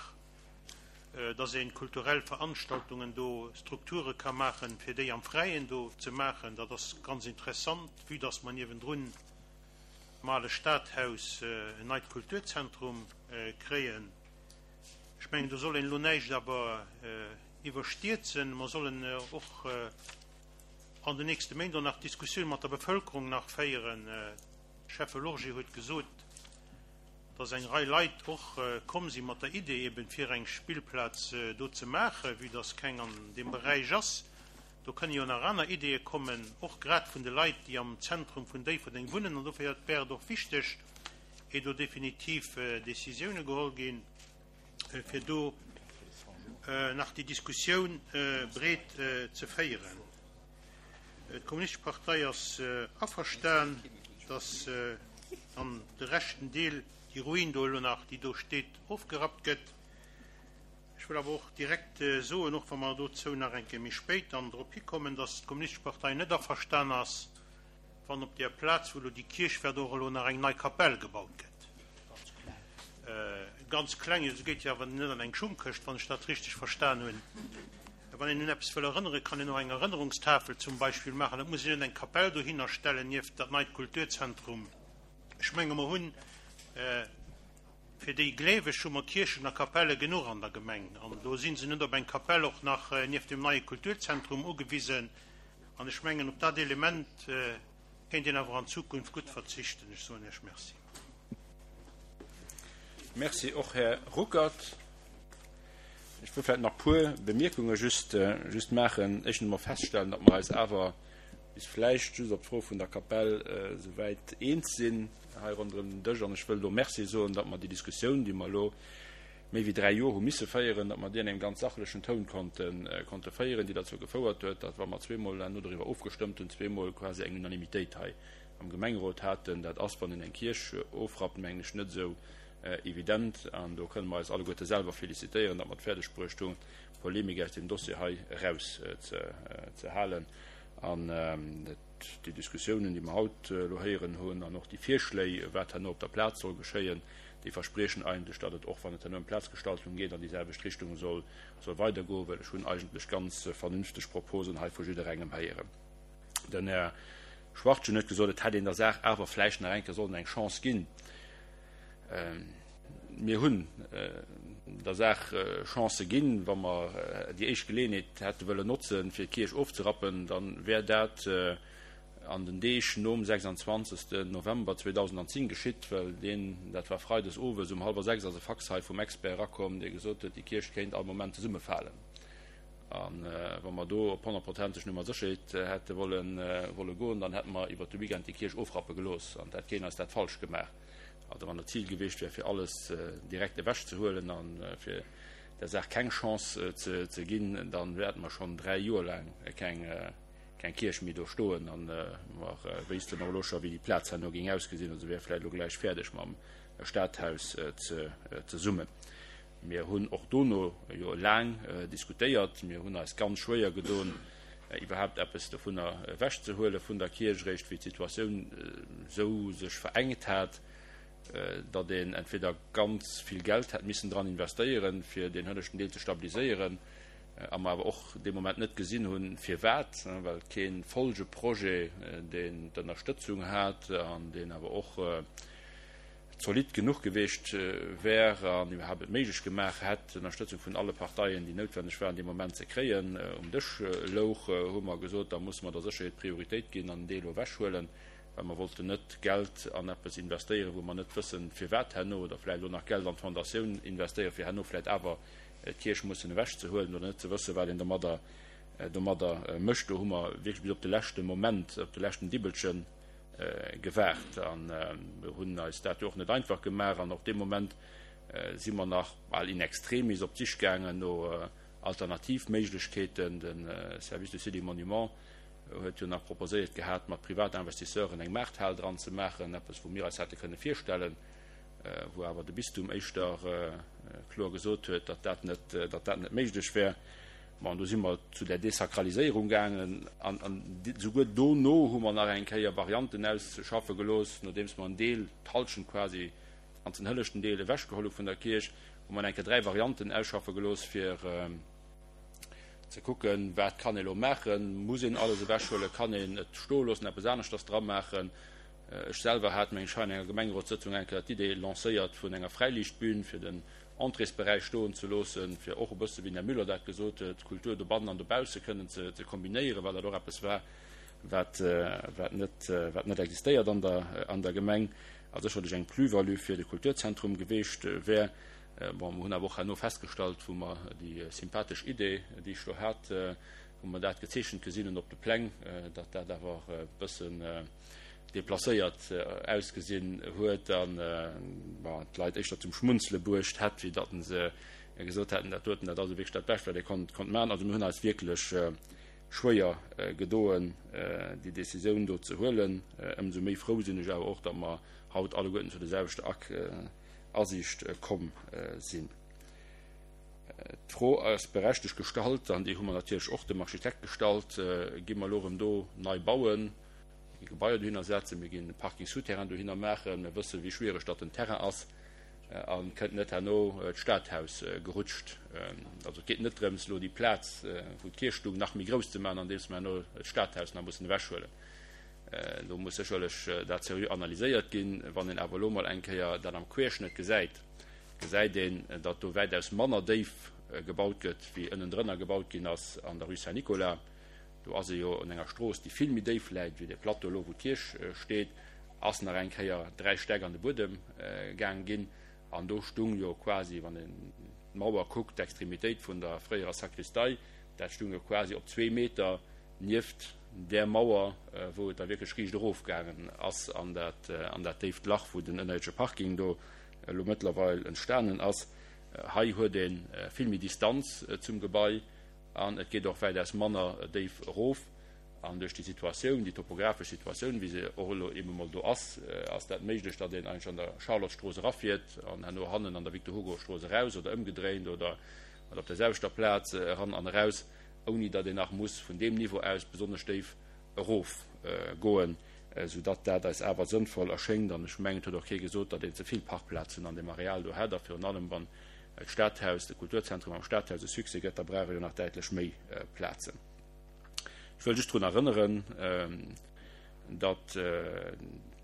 G: dass ee kulturell Veranstaltungen do, Strukture ka maachen, fir déi am Fräien do ze maachen, dat ass ganz interessant, vue dass mer niewendrun am ale Stadhaus en neit Kulturzentrum kréien. Ech mengen, do soll een elo näischt awer iwwerstierzen. Mer sollen och an den nächste Méint och nach Diskussioun mat der Bevëlkerung nach féieren. Schäffe Lorgé huet gesot, dass eng Rei Leit och komm si mat der Idee eben fir eng Spillplaz do ze maachen, vue dass keng an deem Beräich ass. Do kënne jo nach aner Ideeë kommen, och grad vun de Leit, déi am Zentrum vun Déifferdeng wunnen. An dofir wär et och wichteg, ier do definitiv Décisioune geholl ginn, fir do nach déi Diskussioun breet ze féieren. D'Kommunistesch Partei ass averstan, dass dann de reschten Deel, déi Ruin do elo nach, déi do steet, ofgerappt gëtt. Ech wëll awer och direkt soen, och wa mer dozou nach eng Kéier méi spéit dann drop hikommen, dass d'Kommunistesch Partei net averstan ass, wann op där Plaz, wou elo déi Kierch wäert, och elo nach eng nei Kapell gebaut gëtt. Ganz kleng, se geet jo awer net an eng Schungkëscht, wann ech dat richteg verstan hunn. Wann een un eppes wëll erënneren, kann een och eng Erënnerungstafel zum Beispill maachen. Et muss een net eng Kapell dohinner stellen nieft dat neit Kulturzentrum. Ech menge mer hunn fir déi Gleeweg hu mer Kierchen a Kapelle genuch an der Gemeng. An do si se net op eng Kapell och nach nieft dem neie Kulturzentrum ugewisen. An ech mengen, op dat Element kéint een awer an Zukunft gutt verzichten. Ech soen Iech Merci.
L: Merci och, Här Ruckert. Ech wëll vläicht nach puer Bemierkunge just, just maachen. Éischtens emol feststellen, datt mer eis awer bis vläicht just op d'Fro vun der Kapell souwäit eens sinn hei ronderëm den Dësch. An ech wëll do Merci soen, datt mer déi Diskussioun, déi mer elo méi wéi dräi Joer hu misse féieren, datt mer déi an engem ganz sachlechen Toun konnten, konnte féieren, déi derzou gefouert huet, datt, wa mer zweemol herno doriwwer ofgestëmmt hunn, zweemol quasi eng Unanimitéit hei am Gemengerot haten. Dat ass, wann een eng Kierch ofrappt, mengen ech, net esou evident. An do kënne mer eis alleguerte selwer felicitéieren, datt mer et fäerdeg bruecht hunn, d'Polemik aus deem Dossier hei eraus ze, ze halen. An déi Diskussiounen, déi mer haut elo héieren hunn, an och déi Virschléi, wat herno op der Plaz soll geschéien, déi verspriechen eigentlech, datt et och, wann et herno ëm d'Plazgestaltung geet, an déi selwecht Richtung soll, soll weidergoen, well ech hunn eigentlech ganz vernünfteg Proposen hei vu jidderengem héieren. Den Här Schwachtgen huet gesot, et hätt een der Saach awer vläicht nach eng Kéier sollen eng Chance ginn. Mir hunn der Saach Chancë ginn. Wa mer déi éischt Geleeënheet hätte wëllen notzen, fir d'Kierch ofzerappen, da wär dat an den Deeg nom sechsanzwanzegsten November zweedausendzéng geschitt, well deen, dat war freides owes um hallwer sechs, ass e Fax hei vum Expert erakomm, dee gesot huet, déi Kierch kéint all Moment zesummefalen. A wa mer do op honnertprozenteg Nummer Sécherheet hätte wolle goen, dann hätte mer iwwert de Weekend déi Kierch ofrappe gelooss an et hätt keen eis dat falsch gemaach. Also wann et d'Zil gewiescht wär, fir alles direkt ewechzehuelen a fir der Saach keng Chance ze ginn, da wäerte mer schonn dräi Joer laang keng Kierch méi do stoen. A mer wéissten och elo scho wéi déi Plaz herno géing ausgesinn. Also wär vläicht elo gläich fäerdeg mam Stadhaus zesummen. Mir hunn och dono jo laang diskutéiert. Mir hunn eis ganz schwéier gedoen, iwwerhaapt eppes dovunner ewechzehuele vun der Kierch, eréischt wéi d'Situatioun esou sech verengt hat, datt een entweder ganz vill Geld hätt missen dran investéieren, fir deen hënneschten Deel ze stabiliséieren, a mer awer och dee Moment net gesinn hunn, firwat, well kee Folgeprojet, deen d'Ënnerstëtzung hat an deen awer och zolidd genuch gewiescht wär an iwwerhaapt et méiglech gemaach hätt, d'Ënnerstëtzung vun alle Parteien, déi noutwenneg waren, dee Moment ze kréien, um Dësch louch, hu mer gesot, da musse mer der Sécherheet Prioritéit ginn an den Deel ewechhuelen, well mer wollten net Geld an eppes investéieren, wou mer net wëssen, firwat herno, oder vläicht elo nach Geld an d'Fondatioun investéieren, fir herno vläicht awer d'Kierch mussen ewechzehuelen oder net ze wëssen, wat een domadder, domadder mécht. Do hu mer wierklech bis op de leschte Moment, op de leschten Dibbelche gewaart a hunn eis dat jo och net einfach gemaach. An och dee Moment si mer nach bal in extremis op d'Sich gaangen no Alternativméiglechkeeten. De Service du Sites et Monuments huet jo nach proposéiert gehat, mat Privatinvestisseuren eng Maarthal dran ze maachen, eppes wou mir eis hätte kënne virstellen, wou awer de Bistum éischter kloer gesot huet, datt dat net, datt dat net méiglech wär. Bon, do si mer zu där Desakraliséierung gaangen an, an souguer dono hu mer nach eng Kéier Varianten ausschaffe gelooss, nodeems mer en Deel, d'Hallschent quasi, ganzen hëllechten Deel ewechgeholl hu vun der Kierch, hu mer eng Kéier dräi Varianten ausschaffe gelooss, fir ze kucken, wat kann ee lo maachen, muss een alles ewechhuelen, kann een et stoe loossen, eppes aneschters dra maachen. Ech selwer hat, meng ech, hei an enger Gemengerotssëtzung eng Kéier d'Idee lancéiert vun enger Fräiliichtbün, fir den Entréesberäich stoen ze loossen, fir och e bësse, wéi den Här Müller dat gesot huet, d'Kultur dobannen an dobausse kënnen ze kombinéieren, well dat och eppes war, wat, wat net, wat net existéiert an der, an der Gemeng, a sécherlech eng Plus-value fir de Kulturzentrum geweecht wär. Bon, mer hunn awer och herno festgestallt, wou mer déi sympathesch Idee, déi ech do hat, wou mer dat gezeechent gesinn hunn op de Pläng, datt dat awer e bëssen deplacéiert ausgesinn huet an, bon, d'Leit éischter zum Schmunzele bruecht hätt, wéi datt se gesot hätten, dat doten, dat ass elo wierklech dat Bescht, wat ee konnt, konnt maachen. Also mir hunn eis wierklech schwéier gedoen, déi Décisioun do ze huelen. Ëmsou méi frou sinn ech awer och, datt mer haut alleguerten zu der selwechter Asiicht komm sinn. D'Fro ass berechtegt gestallt, an déi hu mer natierlech och dem Architekt gestallt, Gi mer elo erëm do nei bauen, mir gi Gebaier dohinner setzen, mir ginn e Parking souterrain dohinner maachen, mir wëssen, wéi schwiereg datt den Terrain ass, a kënnt net herno d'Stadhaus gerutscht? Also et geet net drëms, elo déi Plaz, wou d'Kierch stung, nach méi grouss ze maachen, andeems mer herno d'Stadhaus nach mussen ewechhuelen. Do muss sécherlech dat seriö analyséiert ginn. Wann een awer elo mol eng Kéier dat am Querschnëtt gesäit, gesäit een, datt do wäitaus manner déif gebaut gëtt, wéi ënnendrënner gebaut ginn ass an der Rue Saint-Nicolas. Do ass ee jo un enger Strooss, déi vill méi déif läit wéi dee Plateau elo, wou d'Kierch steet, ass nach eng Kéier dräi Stäck an de Buedem gaang ginn. An do stung jo quasi, wann een d'Mauer kuckt, d'Extremitéit vun der fréierer Sakristei, dat stung jo quasi op zwee Meter nieft där Mauer, wou et da wierklech riicht erofgaangen ass an dat, an dat déift Lach, wou den ënnerierdesche Parking do elo mëttlerweil entstanen ass. Hei huet ee vill méi Distanz zum Gebai an et geet och wäitaus manner déif erof. An duerch déi Situatioun, déi topografesch Situatioun, wéi se och elo eebe mol do ass, ass dat méiglech, datt een eigentlech an der Charlottestrooss erafiert an herno hannen an der Victor-Hugo-Strooss eraus oder ëmgedréint oder op der selwechter Plaz eran an eraus, ouni datt een nach muss vun deem Niveau aus besonnesch déif erofgoen, soudatt dat eis awer sënnvoll erschéngt. An ech mengen, et huet och kee gesot, datt een ze vill Parkplazen an deem Areal do hätt. A virun allem, wann d'Stadhaus, de Kulturzentrum am Stadhaus e Succès gëtt, da brauch e jo nach däitlech méi Plazen. Ech wëll just drun erënneren, datt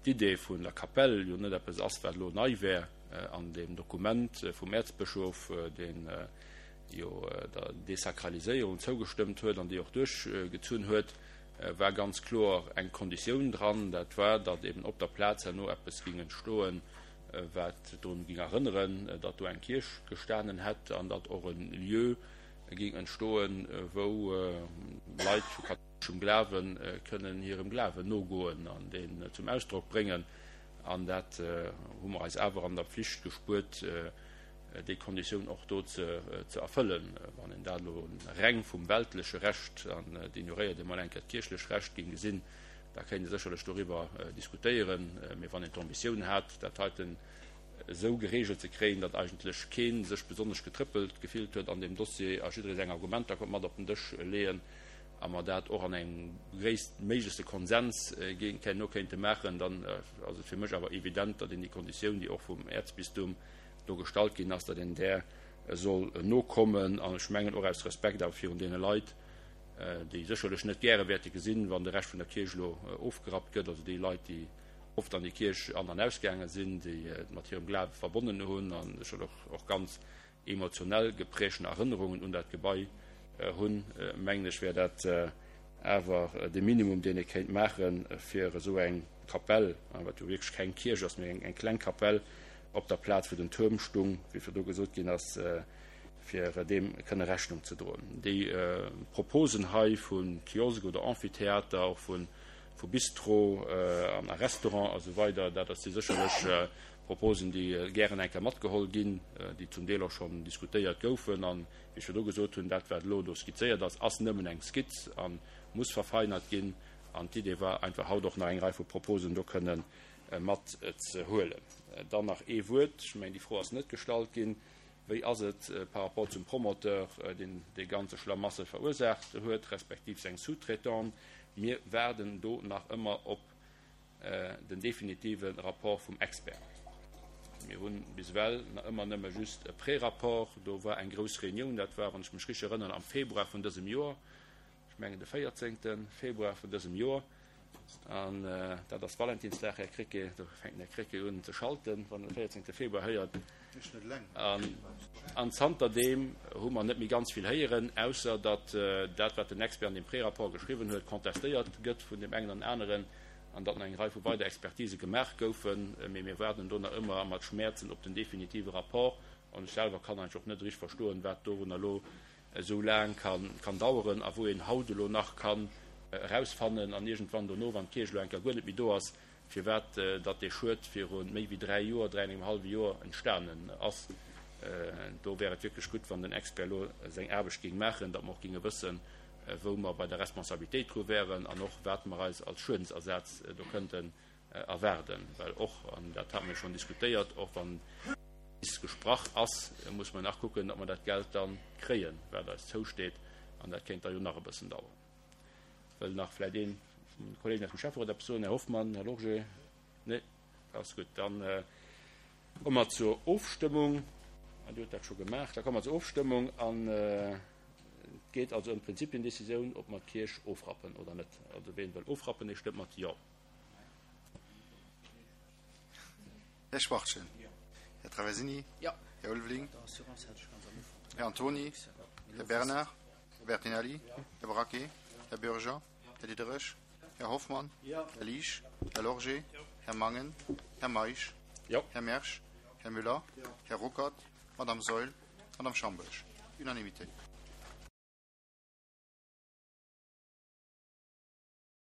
L: d'Idee vun der Kapell jo net eppes ass, wat elo nei wär. An deem Dokument vum Äerzbëschof, dee jo der Desakraliséierung zougestëmmt huet an déi och duerchgezunn huet, war ganz kloer eng Konditioun dran, dat war, datt eben op der Plaz herno eppes ging entstoen, wat drun ging erënneren, datt do eng Kierch gestanen hätt an datt och e Lieu ging entstoen, wou Leit vu kathouleschem Glawe kënnen hirem Glawen nogoen an deen zum Ausdrock bréngen. An dat hu mer eis awer an der Pflicht gespuert, déi Konditioun och do ze erfëllen. Wann een dat elo reng vum weltleche Recht, an et ignoréiert ee mol eng Kéier d'kierchlech Recht, géing gesinn, da kéint ee sécherlech doriwwer diskutéieren. Mee wann een d'Ambitioun hat, dat heiten esou geregelt ze kréien, datt eigentlech kee sech besonnesch getrëppelt gefillt huet an deem Dossier a jidderee seng Argumenter konnt mat op den Dësch leeën a mer dat och an engem gréisstméiglechste Konsens herno kéinte maachen, dann ass et fir mech awer evident, datt een déi Konditioun, déi och vum Äerzbistum do gestallt ginn ass, datt een där soll nokommen. An ech mengen och aus Respekt awer virun deene Leit, déi sécherlech net gäre wäerte gesinn, wann de Rescht vun der Kierch elo ofgerappt gëtt, also déi Leit, déi oft an déi Kierch an an ausgaange sinn, déi et mat hirem Glawe verbonnen hunn a sécherlech och ganz emotionell geprägten Erënnerungen un dat Gebai hunn, mengen ech, wär dat awer de Minimum, deen ee kéint maachen, fir esou eng Kapell, wat jo wierklech keng Kierch ass, mee eng kleng Kapell op der Plaz, wou den Tuerm stung, wéi virdu gesot ginn ass, fir deem kënne Rechnung ze droen. Déi Proposen hei vu Kiosk oder Amphitheater, och vu Bistro an a Restaurant a sou weider, dat si sécherlech Proposen, déi gären eng Kéier matgeholl ginn, déi zum Deel och schonn diskutéiert goufen. An, wéi ech virdu gesot hunn, dat, wat elo do skizzéiert ass, ass nëmmen eng Skizz a muss verfeinert ginn. An d'Idee war einfach, haut och nach eng Rei vu Proposen do kënne matzehuelen. Dann nach ee Wuert, ech mengen, déi Fro ass net gestallt ginn, Wéi ass et par rapport zum Promoteur, deen dee ganze Schlamassel verursaacht huet, respektiv seng Sous-traitanten? Mir waarden do nach ëmmer op den definitive Rapport vum Expert. Mir hu bis ewell nach ëmmer nëmme just e Prérapport. Do war eng grouss Reunioun, dat war, wann ech mech richteg erënneren, am Februar vun dësem Joer, ech mengen de véierzéngte Februar vun dësem Joer, an dat ass Valentinsdag, Här Krecké, do fänkt den Här Krecké un ze schalten, wann en de véierzéngte Februar héiert. An An zanterdeem hu mer net méi ganz vill héieren, ausser datt dat, wat den Expert an deem Prérapport geschriwwen huet, contestéiert gëtt vun deem engen an aneren an datt nach eng Rei vu weider Expertise gemaach goufen. Mee mir waarden do nach ëmmer mat Schmäerzen op den definitive Rapport. An ech selwer kann eigentlech och net richteg verstoen, wat dorunner elo esou laang kann daueren a wou een haut elo nach kann erausfannen an iergendwann dono, wann d'Kierch elo eng Kéier guer net méi do ass, firwat datt dee Schued viru méi wéi dräi Joer, dräi an engem hallwe Joer entstanen ass. Do wär et wierklech gutt, wann den Expert elo seng Aarbecht géing maachen, datt mer och géinge wëssen, wou mer bei der Responsabilitéit dru wären an och wat mer eis als Schuedensersaz do kënnten erwaarden. Well och, an dat hate mer jo schonn diskutéiert, och wann bis gesprach ass, muss mer nach kucken, datt mer dat Geld da kréien, wat eis zousteet, an dat kéint da jo nach e bëssen daueren. Wëll nach vläicht ee vun de Kollegen aus dem Schäfferot eppes soen? Här Hoffmann, Här Lorgé? Nee, dat ass gutt. Dann komme mer zur Ofstëmmung. Ah, Dir hutt dat scho gemaach. Da komme mer zur Ofstëmmung an et geet also ëm d'Prinzipiendecisioun, ob mer d'Kierch ofrappen oder net. Also ween wëll ofrappen, dee stëmmt mat Jo.
J: Här Schwachtgen. Här Traversini. Här Ulveling. Här Antoni. Här Bernard. Här Bertinelli. Här Braquet. Här Bürger. Här Diderich. Här Hoffmann. Här Liesch. Här Lorgé. Här Mangen. Här Meisch. Här Mersch. Här Müller. Här Ruckert. Madame Saeul. Madame Schambourg. Unanimité.